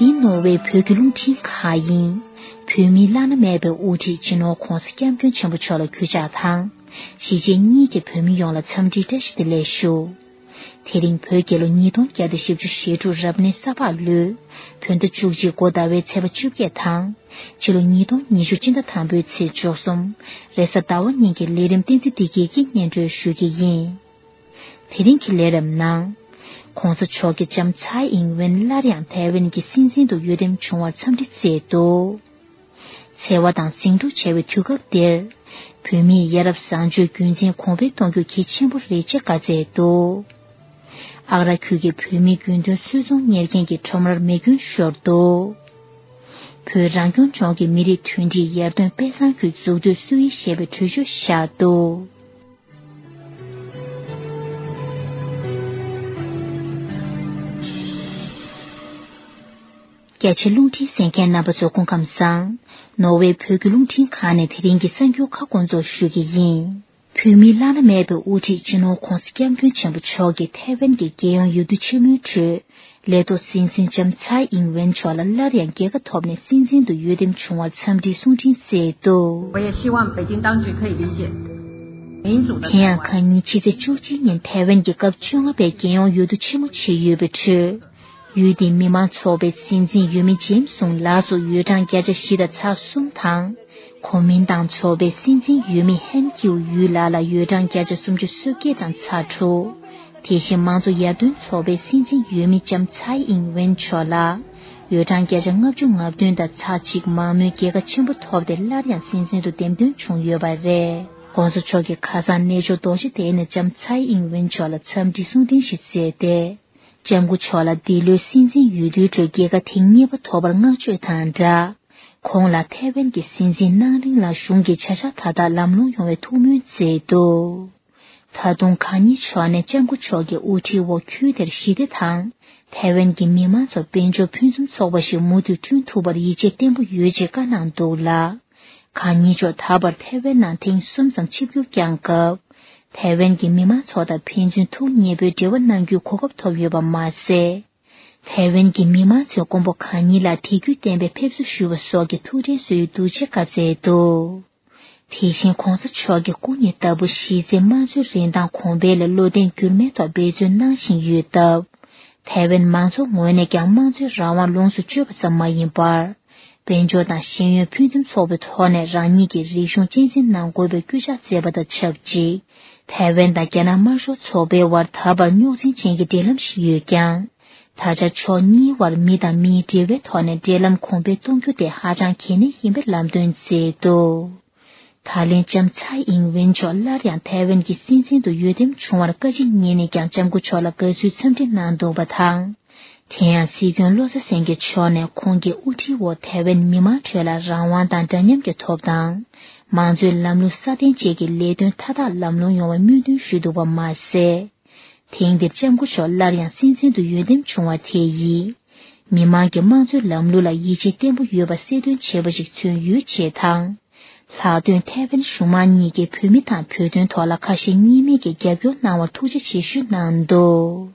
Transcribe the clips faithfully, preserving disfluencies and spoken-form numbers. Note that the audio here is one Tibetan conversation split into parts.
ཡིན། ནོར་ཝེ་བོད་ཀྱི་རླུང་འཕྲིན་ཁང་ཡིན། བོད་མིའི་བླ་ན་མེད་པའི་དབུ་ཁྲིད་སྤྱི་ནོར་༧གོང་ས་༧སྐྱབས་མགོན་ཆེན་པོ་མཆོག་ལ་གུས་ཕྱག་དང་། གཞིས་བྱེས་གཉིས་ཀྱི་བོད་མི་ཡོངས་ལ་འཚམས་འདྲིའི་བཀྲ་ཤིས་བདེ་ལེགས་ཞུ། དེ་རིང་བོད་རྒྱལ་ལོ་ཉིས་སྟོང་བརྒྱ་དང་བཞི་བཅུ་ཞེ་དྲུག་རབ་གནས་ས་ཕག་ལོའི་བོད་ཟླ་བཅུ་གཅིག་འགོ་ཟླ་བའི་ཚེས་པ་བཅོ་བརྒྱད་དང་། ཕྱི་ལོ་ཉིས་སྟོང་ཉི་ཤུ་སྤྱི་ཟླ་དང་པོའི་ཚེས་བཅུ་གསུམ། རེས་གཟའ་ཟླ་བ་ཉིན་གྱི་ལས་རིམ་བསྟན་འཛིན་བདེ་སྐྱིད་ཀྱིས་སྙན་སྒྲོན་ཞུ་གི་ཡིན། དེ་རིང་གི་ལས་རིམ་ནང་། ྋགོང་ས་མཆོག་གིས་ལྕམ་ཚའེ་ཨིང་ཝེན་སླར་ཡང་ཐའེ་ཝན་གྱི་སྲིད་འཛིན་དུ་འོས་འདེམས་བྱུང་བར་འཚམས་འདྲི་བསྩལ་འདུག་འཚེ་བ་དང་ཟིང་འཁྲུག་ཆེ་བའི་དུས་སྐབས་འདིར། བོད་མིས་ཡ་རབས་བཟང་སྤྱོད་རྒྱུན་འཛིན་གོང་འཕེལ་གཏོང་རྒྱུ་གལ་ཆེན་པོ་རེད་ཅེས་བཀའ་སྩལ་འདུག་ཨ་ར་ཁུལ་གྱི་བོད་མིའི་རྒྱུན་གཏན་སུད་ཚོང་གཉེར་མཁན་གྱི་ཁྲོམ་རར་མེ་སྐྱོན་ཤོར་འདུག་བོད་རང་སྐྱོང་ལྗོངས་ཀྱི་མི་རིགས་མཐུན་སྒྲིལ་ཡར་ཐོན་དཔེ་བཟང་ཁུལ་འཛུགས་གཏོད་སྲོལ་ཡིག་ཞེས་པའི་གྲོས་ཆོད་བཞག་འདུག་རྒྱ་ཆེ་རླུང་འཕྲིན་གསན་མཁན་རྣམ་པ་ཚོ་སྐུ་ཁམས་བཟང་། ནོར་ཝེ་བོད་ཀྱི་རླུང་འཕྲིན་ཁང་ནས་དེ་རིང་གི་གསར་འགྱུར་ཁག་སྐོང་ཚོགས་ཞུ་གི་ཡིན། བོད་མིའི་བླ་ན་མེད་པའི་དབུ་ཁྲིད་སྤྱི་ནོར་༧གོང་ས་༧སྐྱབས་མགོན་ཆེན་པོ་མཆོག་གིས་ཐའེ་ཝན་གྱི་རྒྱལ་ཡོངས་འོས་བསྡུ་ཆེན་མོའི་ཁྲོད། ལས་ཐོག་སྲིད་འཛིན་ལྕམ་ཚའེ་ཨིང་ཝེན་མཆོག་ལ་སླར་ཡང་རྒྱལ་ཁ་ཐོབ་ནས་སྲིད་འཛིན་དུ་འོས་འདེམས་བྱུང་བར་འཚམས་འདྲིའི་གསུང་འཕྲིན་བསྩལ་འདུག我也希望北京当局可以理解，民主的台湾。 དེ་ཡང་ཁ་ཉིན་ཕྱི་ཚེས་བཅུ་གཅིག་ཉིན་ཐའེ་ཝན་གྱི་སྐབས་བཅོ་ལྔ་པའི་རྒྱལ་ཡོངས་འོས་བསྡུ་ཆེན་མོ་བྱས་ཡོད་པའི་ཁྲོད། ཡུལ་དེའི་མི་མང་ཚོགས་པའི་སྲིད་འཛིན་འོས་མི་ཇེམ་སུང་ལགས་སུ་འོས་གྲངས་བརྒྱ་ཆ་བཞི་དང་ཚེག་གསུམ་དང་། གོ་མིན་ཏང་ཚོགས་པའི་སྲིད་འཛིན་འོས་མི་ཧན་ཀིའུ་ཡུས་ལགས་ལ་འོས་གྲངས་བརྒྱ་ཆ་སུམ་ཅུ་སོ་བརྒྱད་དང་ཚེག་དྲུག་དེ་བཞིན་མང་གཙོ་ཡར་ཐོན་ཚོགས་པའི་སྲིད་འཛིན་འོས་མི་ལྕམ་ཚའེ་ཨིང་ཝེན་མཆོག་ལ། འོས་གྲངས་བརྒྱ་ཆ་ལྔ་བཅུ་ང་བདུན་དང་ཚེག་གཅིག་མང་མོས་རྒྱལ་ཁ་ཆེན་པོ་ཐོབ་སྟེ་སླར་ཡང་སྲིད་འཛིན་དུ་འདེམས་ཐོན་བྱུང་ཡོད་པ་རེད། ྋགོང་ས་མཆོག་གིས་ཁ་སང་གནས་མཆོག་རྡོ་རྗེ་གདན་ནས་ལྕམ་ཚའེ་ཨིང་ཝེན་མཆོག་ལ་འཚམས་འདྲི་གསུང་འཕྲིན་ཞིག་བསྩལ་ཏེ། ལྕམ་སྐུ་མཆོག་ལ་འདི་ལོའི་སྲིད་འཛིན་འོས་བསྡུའི་ཁྲོད་རྒྱལ་ཁ་ཐེངས་གཉིས་པ་ཐོབ་པར་བསྔགས་བརྗོད་དང་སྦྲགས། ཁོང་ལ་ཐའེ་ཝན་གྱི་སྲིད་འཛིན་གནང་རིང་ལ་གཞུང་གི་བྱ་གཞག་མཐའ་དག་ལམ་ལྷོང་ཡོང་བའི་ཐུགས་སྨོན་བསྩལ་འདུག་ད་དུང་གང་ཉིད་མཆོག་ནས་ལྕམ་སྐུ་མཆོག་གི་དབུ་ཁྲིད་འོག་ཁུལ་དེར་ཞི་བདེ་དང་། ཐའེ་ཝན་གྱི་མི་མང་ཚོར་དཔལ་འབྱོར་ཕུན་སུམ་ཚོགས་པ་ཞིག་མུ་མཐུད་བསྐྲུན་ཐུབ་པར་ཡིད་ཆེས་བརྟན་པོ་ཡོད་ཅེས་བཀའ་གནང་འདུག་ལ། གང་ཉིད་མཆོག་ད་བར་ཐའེ་ཝན་ནང་ཐེངས་གསུམ་ཙམ་ཆིབས་བསྒྱུར་བསྐྱངས་སྐབས། ཐའེ་ཝན་གྱི་མི་མང་ཚོ་དང་ཕན་ཚུན་ཐུགས་མཉེས་པོའི་འབྲེལ་བ་གནང་རྒྱུའི་གོ་སྐབས་ཐོབ་ཡོད་པ་མ་ཟད། ཐའེ་ཝན་གྱི་མི་མང་ཚོས་མགོན་པོ་གང་ཉིད་ལ་དད་གུས་བརྟན་པའི་ཕེབས་བསུ་ཞུ་བ་སོགས་ཀྱི་ཐུགས་ཁྲལ་བཟོ་ཡི་འདུག་ཅེས་བཀའ་སྩལ་འདུག་དེ་བཞིན་ྋགོང་ས་མཆོག་གི་སྐུ་ཉིད་ལྟ་བུ་གཞི་རྩའི་དམངས་གཙོའི་རིན་ཐང་གོང་འཕེལ་ལ་བློ་གདེང་འགྱུར་མེད་ཐོག་འབད་བརྩོན་གནང་བཞིན་ཡོད་སྟབས། ཐའེ་ཝན་མང་ཚོགས་ངོས་ནས་ཀྱང་དམངས་གཙོའི་རང་དབང་ལོངས་སུ་སྤྱོད་པ་ཙམ་མ་ཡིན་པར། དཔལ་འབྱོར་དང་ཤེས་ཡོན་ཕུན་སུམ་ཚོགས་པའི་ཐོག་ནས་རང་ཉིད་ཀྱི་རིག་གཞུང་གཅེས་འཛིན་གནང་དགོས་པའི་སྐུལ་ལྕག་བསྩལ་བ་དང་ཆབས་ཅིག་ཐའེ་ཝན་དང་རྒྱ་ནག་དམར་ཤོག་ཚོགས་པའི་དབར་ད་བར་རྙོག་འཛིང་ཅན་གྱི་འབྲེལ་ལམ་ཞིག་ཡོད་ཀྱང་། ད་ཆ་ཕྱོགས་གཉིས་དབར་མི་དང་མིའི་འབྲེལ་བའི་ཐོག་ནས་འབྲེལ་ལམ་གོང་འཕེལ་གཏོང་རྒྱུ་དེ་ཧ་ཅང་གལ་གནད་ཡིན་པའི་ལམ་སྟོན་མཛད་འདུག་ད་ལན་ལྕམ་ཚའེ་ཨིང་ཝེན་མཆོག་སླར་ཡང་ཐའེ་ཝན་གྱི་སྲིད་འཛིན་དུ་འོས་འདེམས་བྱུང་བར་བཀའ་སྤྱི་གཉིས་ནས་ཀྱང་ལྕམ་སྐུ་མཆོག་ལ་དགའ་བསུའི་འཚམས་འདྲི་གནང་འདུག་པ་དང་། དེ་ཡང་སྲིད་སྐྱོང་བློ་བཟང་སེང་གེ་མཆོག་ནས་ཁོང་གི་དབུ་ཁྲིད་འོག་ཐའེ་ཝན་མི་མང་ཁྲོད་ལ་རང་དབང་དང་འདྲ་མཉམ་གྱི་ཐོབ་ཐང་། མང་གཙོའི་ལམ་ལུགས་སྲ་བརྟན་བཅས་ཀྱི་ལས་དོན་མཐའ་དག་ལམ་ལྷོང་ཡོང་བའི་སྨོན་འདུན་ཞུས་འདུག་པ་མ་ཟད། ཐེངས་འདིར་ལྕམ་སྐུ་མཆོག་སླར་ཡང་སྲིད་འཛིན་དུ་འོས་འདེམས་བྱུང་བ་དེ་ཡིས། མི་མང་གིས་དམངས་གཙོའི་ལམ་ལུགས་ལ་ཡིད་ཆེས་བརྟན་པོ་ཡོད་པ་གསལ་སྟོན་བྱས་པ་ཞིག་མཚོན་ཡོད་ཅེས་དང་། ལྷག་དོན་ཐའེ་ཝན་གཞུང་མང་གཉིས་ཀྱིས་བོད་མི་དང་བོད་དོན་ཐོག་ལ་ཁ་ཞེ་གཉིས་མེད་ཀྱིས་རྒྱབ་སྐྱོར་གནང་བར་ཐུགས་རྗེ་ཆེ་ཞུ་གནང་འདུག་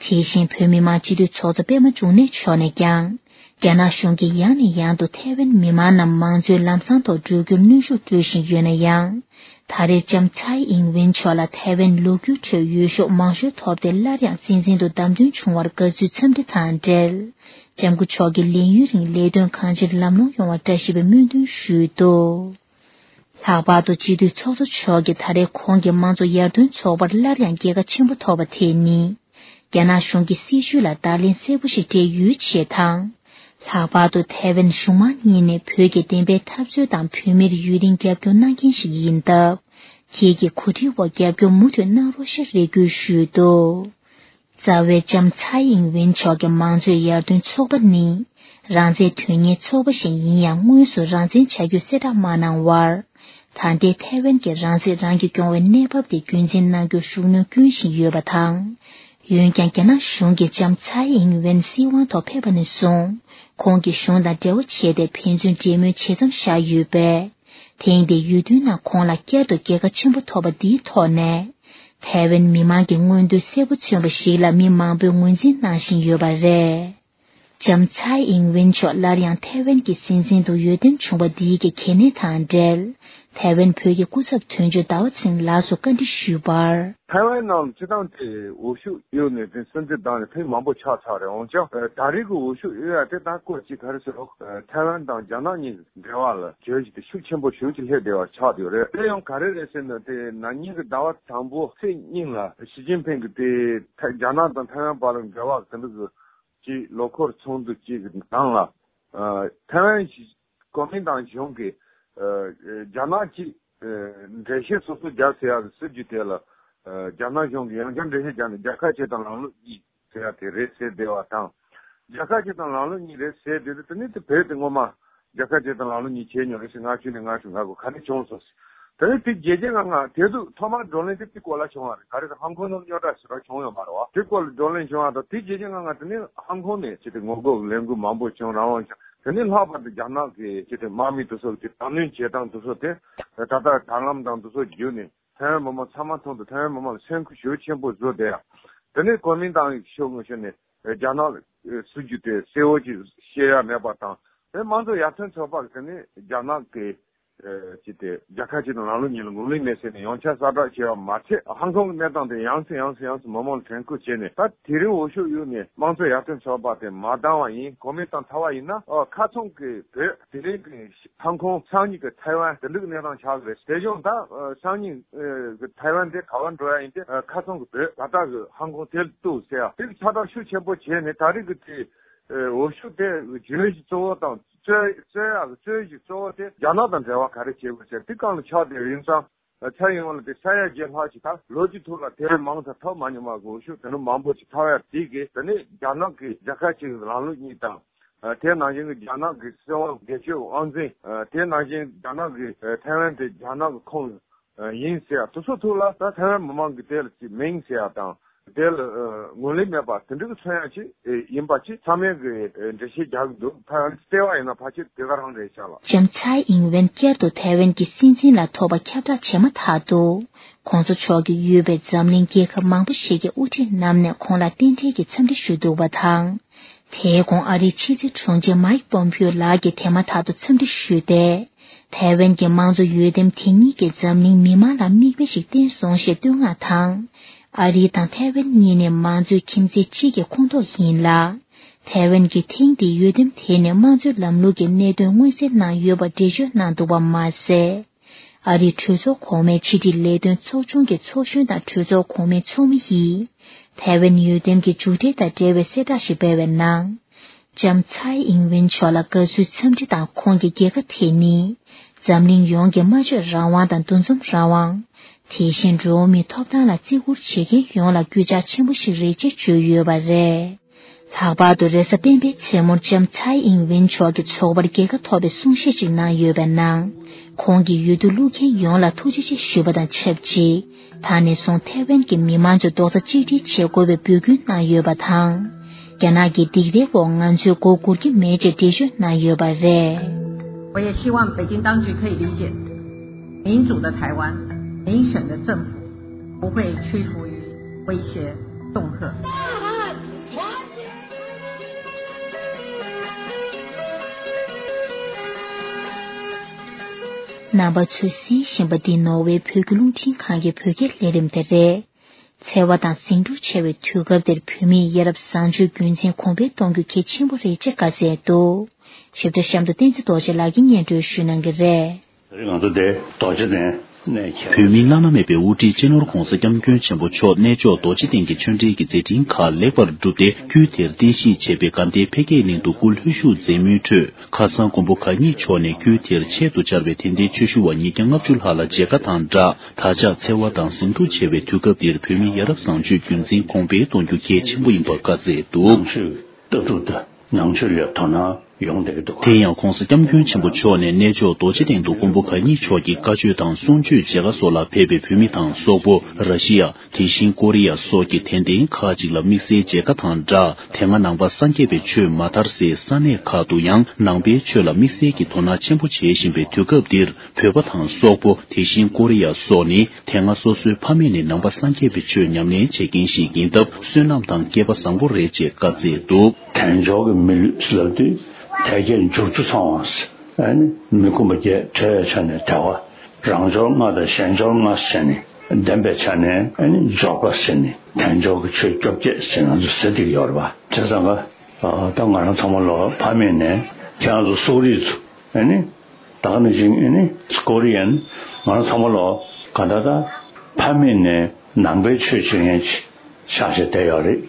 དེ་བཞིན་བོད་མི་མང་སྤྱི་འཐུས་ཚོགས་གཙོ་པད་མ་འབྱུང་གནས་མཆོག་ནས་ཀྱང་། རྒྱ་ནག་གཞུང་གིས་ཡང་ནས་ཡང་དུ་ཐའེ་ཝན་མི་མང་རྣམས་མང་གཙོའི་ལམ་བཟང་ཐོག་འགྲོ་རྒྱུར་གནོན་ཤུགས་སྤྲོད་བཞིན་ཡོད་ན་ཡང་། ད་རེས་ལྕམ་ཚའེ་ཨིང་ཝེན་མཆོག་ལ་ཐའེ་ཝན་ལོ་རྒྱུས་ཁྲོད་འོས་ཤོག་མང་ཤོས་ཐོབ་སྟེ་སླར་ཡང་སྲིད་འཛིན་དུ་བདམས་ཐོན་བྱུང་བར་དགའ་བསུའི་འཚམས་འདྲི་དང་འབྲེལ། ལྕམ་སྐུ་མཆོག་གི་ལས་ཡུན་རིང་ལས་དོན་གང་ཅིར་ལམ་ལྷོང་ཡོང་བར་བཀྲ་ཤིས་པའི་སྨོན་འདུན་ཞུས་འདུག་ལྷག་པར་དུ་སྤྱི་འཐུས་ཚོགས་གཙོ་མཆོག་གིས་ད་རེས་ཁོང་གིས་དམངས་གཙོ་ཡར་ཐོན་ཚོགས་པར་སླར་ཡང་རྒྱལ་ཁ་ཆེན་པོ་ཐོབ་པ་དེ་ནི། རྒྱ་ནག་གཞུང་གི་སྲིད་བྱུས་ལ་བརྡ་ལན་གསལ་པོ་ཞིག་སྤྲད་ཡོད་ཅེས་དང་། ལྷག་པར་དུ་ཐའེ་ཝན་གཞུང་མང་གཉིས་ནས་བོད་ཀྱི་བདེན་པའི་འཐབ་རྩོད་དང་བོད་མིར་ཡུན་རིང་རྒྱབ་སྐྱོར་གནང་མཁན་ཞིག་ཡིན་སྟབས། ཁྱེད་ཀྱི་གོ་སྒྲིག་འོག་རྒྱབ་སྐྱོར་མུ་མཐུད་གནང་རོགས་ཞེས་རེ་སྐུལ་ཞུས་འདུག་རྩ་བའི་ལྕམ་ཚའེ་ཨིང་ཝེན་མཆོག་གི་མང་གཙོའི་ཡར་ཐོན་ཚོགས་པ་ནི། རང་བཙན་དོན་གཉེར་ཚོགས་པ་ཞིག་ཡིན་ཡང་དངོས་སུ་རང་བཙན་བྱ་རྒྱུའི་གསལ་བསྒྲགས་མ་གནང་བར། ད་ལྟའི་ཐའེ་ཝན་གྱི་རང་སྲིད་རང་གིས་སྐྱོང་བའི་གནས་བབ་དེ་རྒྱུན་འཛིན་གནང་རྒྱུར་ཤུགས་སྣོན་སྐྱོན་བཞིན་ཡོད་པ་དང་། འོན་ཀྱང་རྒྱ་ནག་གཞུང་གིས་ལྕམ་ཚའེ་ཨིང་ཝེན་སྲིད་དབང་ཐོག་ཕེབས་པ་ནས་བཟུང་། ཁོང་གིས་གཞུང་དང་འབྲེལ་བ་བྱས་ཏེ་ཕན་ཚུན་འབྲེལ་མོལ་བྱེད་མཚམས་བཞག་ཡོད་པས། ཐེངས་འདིའི་འོས་བསྡུའི་ནང་ཁོང་ལ་བསྐྱར་དུ་རྒྱལ་ཁ་ཆེན་པོ་ཐོབ་པ་འདིའི་ཐོག་ནས། ཐའེ་ཝན་མི་མང་གི་མངོན་འདོད་གསལ་པོ་མཚོན་པ་ཞིག་ལ་མི་མང་པོས་ངོས་འཛིན་གནང་བཞིན་ཡོད་པ་རེད། ལྕམ་ཚའེ་ཨིང་ཝེན་མཆོག་སླར་ཡང་ཐའེ་ཝན་གྱི་སྲིད་འཛིན་དུ་འོས་འདེམས་བྱུང་བ་འདིའི་གི་གལ་གནད་དང་འབྲེལ། ཐའེ་ཝན་བོད་ཀྱི་སྐུ་ཚབ་དོན་གཅོད་ཟླ་བ་ཚེ་རིང་ལགས་སུ་བཀའ་འདྲི་ཞུས་པར། ཐའེ་ཝན་ནང་སྤྱི་བཏང་དེ་འོས་ཤོག་གཡུགས་ནས་དེ་སྲིད་འཛིན་བདམས་ནས་ཐེངས་མང་པོ་ཆགས་ཚར་རེད། འོན་ཀྱང་ད་རེས་ཀྱི་འོས་ཤོག་གཡུགས་ཡ་དེ་ད་སྐོར་གཅིག་ག་རེ་ཟེར་རོགས། ཐའེ་ཝན་དང་རྒྱ་ནག་གཉིས་འབྲེལ་བ་ལ་བརྗོད་གཞི་དེ་ཤུགས་ཆེན་པོ་ཞེ་པོ་ཅིག་སླེབས་བསྡད་པ་ཆགས་བསྡད་ཡོད་རེད། དེ་ཡང་ག་རེ་རེད་ཟེར་ན། དེ་ན་ནིང་གི་ཟླ་བ་དང་པོ་ཚེས་གཉིས་ལ་ཞི་ཅིན་ཕིང་གིས་དེ་རྒྱ་ནག་དང་ཐའེ་ཝན་བར་ལ་འབྲེལ་བ་དེ་འདྲ་གི་ཅིག་ལོ་འཁོར་ཚོགས་འདུ་གཅིག་གི་ནང་ལ། ཨ། ཐའེ་ཝན་གོ་མིན་ཏང་གཞུང་གིས། ཨ། རྒྱ་ནག་གཅིག་ཨ། འགྲེལ་བཤད་སོ་སོ་རྒྱབ་ཟེར་ཡག་གི་སྲིད་ཇུས་དེ་ལ། ཨ། རྒྱ་ནག་གཞུང་གིས་ཡང་བསྐྱར་འགྲེལ་བཤད་བརྒྱབ་ནས་རྒྱལ་ཁབ་གཅིག་དང་ལམ་ལུགས་གཉིས་ཟེར་ཡག་དེ་རེད་ཟེར་བསྡད་པ་དང་། རྒྱལ་ཁབ་གཅིག་དང་ལམ་ལུགས་གཉིས་རེད་ཟེར་བསྡད་དུས། དེ་ནི་དེ་བོད་དེ་སྔོན་མ་རྒྱལ་ཁབ་གཅིག་དང་ལམ་ལུགས་གཉིས་བྱས་མྱོང་རེད་ཟེར། ལྔ་བཅུ་ནས་ལྔ་བཅུ་ང་དགུ་ག་རེ་བྱུང་སོང་ཟེར། དེ་ནི་དེ་བརྒྱད་བརྒྱ་ང་ལྔ་དེ་དུས་ཐོག་མར་བགྲོ་གླེང་དེ་དེ་སྐོར་ལ་བྱུང་བ་རེད། ག་རེ་ཟེར། ཧང་ཀོང་ནང་རྙོག་དྲ་ཞེ་དྲག་བྱུང་ཡོད་མ་རེད་བ། དེ་སྐོར་ལ་བགྲོ་གླེང་བྱུང་བ་དང་། དེ་བརྒྱད་བརྒྱ་ང་ལྔ་དེ་ནི་ཧང་ཀོང་ནས་ཅི་སྟེ་ངོ་རྒོལ་ལས་འགུལ་མང་པོ་བྱུང་། རང་དབང་བྱུང་། དེ་ནས་ལྷག་པར་དུ་རྒྱ་ནག་གི་ཅི་སྟེ་དམག་མི་དེ་ཚོ་གི་དྲག་གནོན་བྱེད་སྟངས་དེ་ཚོ་དེ་ད་ལྟ་དྲ་ལམ་དང་དེ་ཚོ་བརྒྱུད་ནས་ཐའེ་ཝན་མི་མང་ཚང་མ་མཐོང་དུས། ཐའེ་ཝན་མི་མང་ལ་སེམས་ཁུར་ཞེ་པོ་ཆེན་པོ་བཟོས་བསྡད་ཡ། དེ་ནས་གོ་མིན་ཏང་གི་ཤོག་ངོས་ཕྱོགས་ནས་རྒྱ་ནག་སྲིད་ཇུས་དེ་གསལ་བོ་ཅིག་བཤད་ཡ་མེད་པ་དང་། དེ་དམངས་གཙོ་ཡར་ཐོན་ཚོགས་པ་གི་དེ་ནས་རྒྱ་ནག་གི་ཨ། ཅི་སྟེ་རྒྱལ་ཁབ་གཅིག་དང་ལམ་ལུགས་གཉིས་ལ་ངོས་ལེན་མེད་ཟེར་ནས་ཡང་བསྐྱར་གསལ་བསྒྲགས་བྱས་པ་མ་ཚད། ཧང་ཀོང་གི་གནས་སྟངས་དེ་ཡང་སེ་ཡང་སེ་ཡང་སེ་མི་མང་ལ་དྲན་སྐུལ་བྱས་ནས། ད་དེ་རིང་འོས་ཤོག་གཡུགས་ནས་དམངས་གཙོ་ཡར་ཐོན་ཚོགས་པ་དེ་མ་བདམས་པ་ཡིན། གོ་མིན་ཏང་ཚར་བ་ཡིན་ན། ཨ། ཁ་ཚང་གི་བོད། དེ་རིང་གི་ཧང་ཀོང་། སང་ཉིན་གི་ཐའེ་ཝན། དེ་འདྲ་གི་གནས་སྟངས་ཆགས་ཀྱི་རེད། དེ་བྱུང་ད། ཨ། སང་ཉིན་གི་ཐའེ་ཝན་དེ་ག་པར་འགྲོ་ཡ་ཡིན་ཏེ། ཨ། ཁ་ཚང་གི་བོད། ད་ལྟ་གི་ཧང་ཀོང་དེ་ལ་གཏུགས་ཟེར་ཡ་དེ་གི་ཁྱབ་བསྒྲགས་ཤུགས་ཆེན་པོ་བྱས་ནས། ད་རེས་གི་དེ། ཨ། འོས་ཤོག་དེ་བརྗོད་གཞི་གཙོ་བོ་དང་། རྩོད། རྩོད་ཡག་གི་རྩོད་གཞི་གཙོ་བོ་དེ་རྒྱ་ནག་དང་འབྲེལ་བ་ག་རེ་བྱེད་དགོས་ཟེར་དེ་སྒང་ལ་ཆགས་བསྡད་ཡིན་ཙང་། ཨ། ཚེ་རིང་ལགས་དེ་ས་ཡ་བརྒྱད་ལྷག་ཅིག་ད་ལོ་གཅིག་ཐོག་ལ་དེ་རིང་མང་ཙམ་ཐོབ་མ་མྱོང་བ་གི་འོས་ཤོག་དེ་འདྲ་མང་པོ་ཅིག་ཐོབ་ཡ་དེ་གིས། དེ་ནས་རྒྱ་ནག་གི་རྒྱལ་ཁབ་གཅིག་ལམ་ལུགས་གཉིས་དང་། ཨ། དེ་ནང་བཞིན་གྱི་རྒྱ་ནག་གི་སྲིད་དབང་སྒེར་གཅོད་དབང་འཛིན། ཨ། དེ་ནང་བཞིན་རྒྱ་ནག་གི། ཨ། ཐའེ་ཝན་དེ་རྒྱ་ནག་གི་ཁོངས། ཨ། ཡིན་ཟེར་ཡ་དེ་ཚོ་ཐོག་ལ། ད་ཐའེ་ཝན་མི་མང་གི་དེ་ལ་ཅིག་མིན་ཟེར་ཡ་དང་། དེ་ལ། ཨ། ངོས་ལེན་མེད་པ་དེ་འདྲ་གི་མཚོན་ཡ་ཅིག་ཡིན་པ་ཅིག་ཚང་མས་གི། ཨ། འགྲེལ་བཤད་རྒྱག་གི་འདུག་ད་ལྟ་བ་ཡིན་ན་ཕལ་ཆེར་དེ་ག་རང་རེད་ཤག་ལགས། ལྕམ་ཚའེ་ཨིང་ཝེན་བསྐྱར་དུ་ཐའེ་ཝན་གྱི་སྲིད་འཛིན་ལ་ཐོབ་པ་ཁྱབ་བསྒྲགས་བྱས་མ་ཐག་ཏུ། གོང་ས་མཆོག་གིས་ཡོད་པའི་འཛམ་གླིང་རྒྱལ་ཁབ་མང་པོ་ཞིག་གི་དབུ་ཁྲིད་རྣམས་ནས་ཁོང་ལ་རྟེན་འབྲེལ་གྱི་འཚམས་འདྲི་ཞུས་འདུག་པ་དང་། དེའི་གོང་ཨ་རིའི་ཕྱི་སྲིད་དྲུང་ཆེ་མཱིག་པོམ་པིའོ་ལགས་ཀྱིས་དེ་མ་ཐག་ཏུ་འཚམས་འདྲི་ཞུས་ཏེ། ཐའེ་ཝན་གྱི་དམངས་གཙོ་འོས་འདེམས་དེ་ཉིད་ཀྱིས་འཛམ་གླིང་མི་མང་ལ་མིག་དཔེ་ཞིག་བསྟན་སོང་ཞེས་བསྟོད་བསྔགས་དང་། ཨ་རི་དང་ཐའེ་ཝན་གཉིས་ནི་མང་གཙོའི་ཁྱིམ་མཚེས་གཅིག་གི་ཁོངས་གཏོགས་ཡིན་ལ། ཐའེ་ཝན་གྱི་ཐེངས་འདིའི་འོས་འདེམས་དེ་ནི་དམངས་གཙོའི་ལམ་ལུགས་ཀྱི་གནད་དོན་མངོན་གསལ་གནང་ཡོད་པར་འགྲེལ་བརྗོད་གནང་འདུག་པ་མ་ཟད། ཨ་རིའི་གྲོས་ཚོགས་གོང་མའི་ཕྱི་དྲིལ་ལས་དོན་ཚོགས་ཆུང་གི་ཚོགས་གཞོན་དང་གྲོས་ཚོགས་གོང་མའི་ཚོགས་མི་ཡིས། ཐའེ་ཝན་འོས་འདེམས་ཀྱི་མཇུག་འབྲས་དང་འབྲེལ་བའི་གསལ་བསྒྲགས་ཤིག་སྤེལ་བའི་ནང་། ལྕམ་ཚའེ་ཨིང་ཝེན་མཆོག་ལ་དགའ་བསུའི་འཚམས་འདྲི་དང་། ཁོང་གི་རྒྱལ་ཁ་དེ་ནི། འཛམ་གླིང་ཡོངས་ཀྱི་སྨྲ་བརྗོད་རང་དབང་དང་འདུ་འཛོམས་རང་དབང་། དེ་བཞིན་འགྲོ་བ་མིའི་ཐོབ་ཐང་ལ་བརྩི་བཀུར་བྱེད་མཁན་ཡོངས་ལ་གུས་ཕྱག་ཆེན་པོ་ཞིག་རེད་ཅེས་བརྗོད་ཡོད་པ་རེད། ལྷག་པར་དུ་རེས་གཟའ་སྤེན་པའི་མཚན་མོར་ལྕམ་ཚའེ་ཨིང་ཝེན་མཆོག་གིས་ཚོགས་པར་རྒྱལ་ཁ་ཐོབ་པའི་གསུང་བཤད་ཅིག་གནང་ཡོད་པའི་ནང་། ཁོང་གིས་འོས་བསྡུ་བླུག་མཁན་ཡོངས་ལ་ཐུགས་རྗེ་ཆེ་ཞུས་པ་དང་ཆབས་ཅིག་ད་ནས་བཟུང་ཐའེ་ཝན་གྱི་མི་མང་ཚོས་རྡོག་རྩ་གཅིག་སྒྲིལ་བྱེད་དགོས་པའི་འབོད་སྐུལ་གནང་ཡོད་པ་དང་། རྒྱ་ནག་གི་སྡིགས་རའི་འོག་ང་ཚོས་མགོ་སྒུར་གྱི་མེད་ཅེས་འགྲེལ་བརྗོད་གནང་ཡོད་པ་རེད། 我也希望北京当局可以理解，民主的台湾，民选的政府不会屈服于威胁恫吓。 རྣམ་པ་ཚོས་གསན་བཞིན་པ་འདི་ནོར་ཝེ་བོད་ཀྱི་རླུང་འཕྲིན་ཁང་གི་བོད་སྐད་ལས་རིམ་དེ་རེད། འཚེ་བ་དང་ཟིང་འཁྲུག་ཆེ་བའི་དུས་སྐབས་འདིར་བོད་མིའི་ཡ་རབས་བཟང་སྤྱོད་རྒྱུན་འཛིན་གོང་འཕེལ་གཏོང་རྒྱུ་གལ་ཆེན་པོ་རེད་ཅེས་བཀའ་སྩལ་འདུག་ཞིབ་ཕྲ་གཤམ་དུ་བསྟན་འཛིན་རྡོ་རྗེ་ལགས་ཀྱིས་སྙན་སྒྲོན་ཞུ་གནང་གི་རེད། ང་ཚོ་དེ་རྡོ་རྗེ་གདན་གནས་ཁྱེར། བོད་མིའི་བླ་ན་མེད་པའི་དབུ་ཁྲིད་སྤྱི་ནོར་༧གོང་ས་༧སྐྱབས་མགོན་ཆེན་པོ་མཆོག་གནས་མཆོག་རྡོ་རྗེ་གདན་གྱི་ཆོས་འབྲེལ་གྱི་མཛད་འཕྲིན་ཁག་ལེགས་པར་གྲུབ་སྟེ། དཀྱུས་དེར་རྟེན་གཞི་བྱས་པའི་དགའ་ལྡན་འཕེལ་རྒྱས་གླིང་དུ་སྐུ་ལྷོད་བཞུགས་མཛད་མུས་ཁྲོད། ཁ་སང་མགོན་པོ་གང་ཉིད་མཆོག་ནས་དཀྱུས་དེར་ཆེད་དུ་བཅར་བའི་དད་ལྡན་ཆོས་ཞུ་བ་ཉིས་བརྒྱ་ལྔ་བཅུ་ལྷག་ལ་མཇལ་ཁ་དང་སྦྲགས། ད་ཆ་འཚེ་བ་དང་ཟིང་འཁྲུག་ཆེ་བའི་དུས་སྐབས་འདིར་བོད་མིའི་ཡ་རབས་བཟང་སྤྱོད་རྒྱུན་འཛིན་གོང་འཕེལ་གཏོང་རྒྱུ་གལ་ཆེན་པོ་ཡིན་པར་བཀའ་སྩལ་འདུག་ནང་ཆོས་ལྟ་གྲུབ་དང་ནང་ཆོས་ལ་དོ་སྣང་ ཡོང་བསྡད་ཀྱི་འདུག་དེ་ཡང་གོང་ས་སྐྱབས་མགོན་ཆེན་པོ་མཆོག་ནས་གནས་མཆོག་རྡོ་རྗེ་གདན་དུ་མགོན་པོ་གང་ཉིད་མཆོག་གི་བཀའ་ཆོས་དང་གསུང་ཆོས་མཇལ་ཁ་སོགས་ལ་ཕེབས་པའི་བོད་མི་དང་སོག་པོ། ར་ཤི་ཡ། དེ་བཞིན་ཀོ་རི་ཡ་སོགས་ཀྱི་དད་ལྡན་ཁག་ཅིག་ལ་དམིགས་བསལ་མཇལ་ཁ་དང་སྦྲགས། དེ་སྔ་ནང་པ་སངས་རྒྱས་པའི་ཆོས་མ་དར་སའི་ས་གནས་ཁག་ཏུ་ཡང་ནང་པའི་ཆོས་ལ་དམིགས་བསལ་གྱི་དོ་སྣང་ཆེན་པོ་བྱེད་བཞིན་པའི་དུས་སྐབས་འདིར། བོད་པ་དང་སོག་པོ། དེ་བཞིན་ཀོ་རི་ཡ་སོགས་ནི། དེ་སྔ་སོ་སོའི་ཕ་མེས་ནས་ནང་པ་སངས་རྒྱས་པའི་ཆོས་ཉམས་ལེན་བྱེད་མཁན་ཞིག་ཡིན་སྟབས། བསོད་ནམས་དང་སྐལ་པ་བཟང་པོ་རེད་ཅེས་བཀའ་སྩལ་འདུག་དལ་འབྱོར་གྱི་མི་ལུས་ལབ་དུས་དལ་བརྒྱད་འབྱོར་ཚུལ་ཚང་བ། ཨ་ནི་མི་ཁོམ་པ་བརྒྱད། བྲལ་བའི་ཆ་ནས་དལ་བ། རང་འབྱོར་ལྔ་དང་གཞན་འབྱོར་ལྔ་ཟེར་ནས། ལྡན་པའི་ཆ་ནས་ཨ་ནི་འབྱོར་པ་ཟེར་ནས། དལ་འབྱོར་གྱི་ཆོས་བཅོ་བརྒྱད་ཟེར་ང་ཚོ་ཟེར་བསྡད་ཀྱི་ཡོད་རེད་པ། བྱས་ཙང་ཀ་ད་ང་རང་ཚང་མ་ལོ་ཕ་མེས་ནས་ཁྱེད་རང་ཚོ་སོག་རིགས་ཚོ་ཨ་ནི། ད་ག་ནང་བཞིན་ཨ་ནི་ཀོ་རི་ཡན། ང་རང་ཚང་མ་ལོ་ག་ད་ད་ཕ་མེས་ནས་ནང་པའི་ཆོས་བྱེད་མཁན་ཅིག་ཆགས་བྱས་བསྡད་ཡོད་རེད།